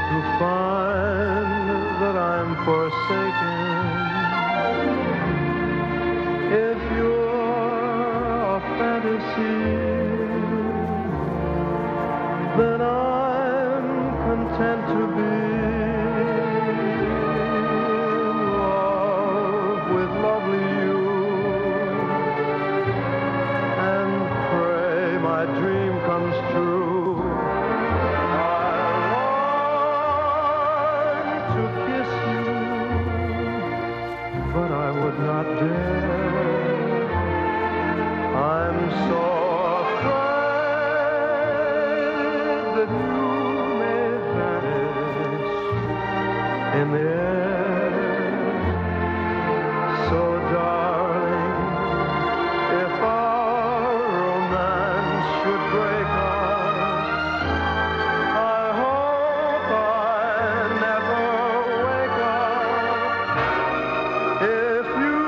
to find that I'm forsaken. If you're a fantasy, then I'm content to be in love with lovely you and pray my dream comes true. I long to kiss you, but I would not dare. I'm so afraid that you may vanish in the air. So darling, if our romance should break us, I hope I never wake up. If you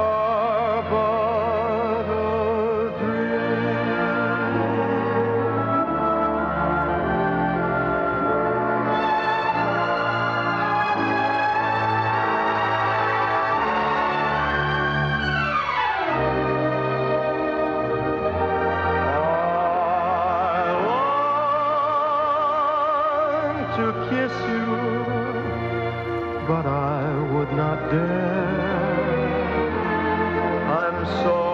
are but a dream. To kiss you, but I would not dare. I'm so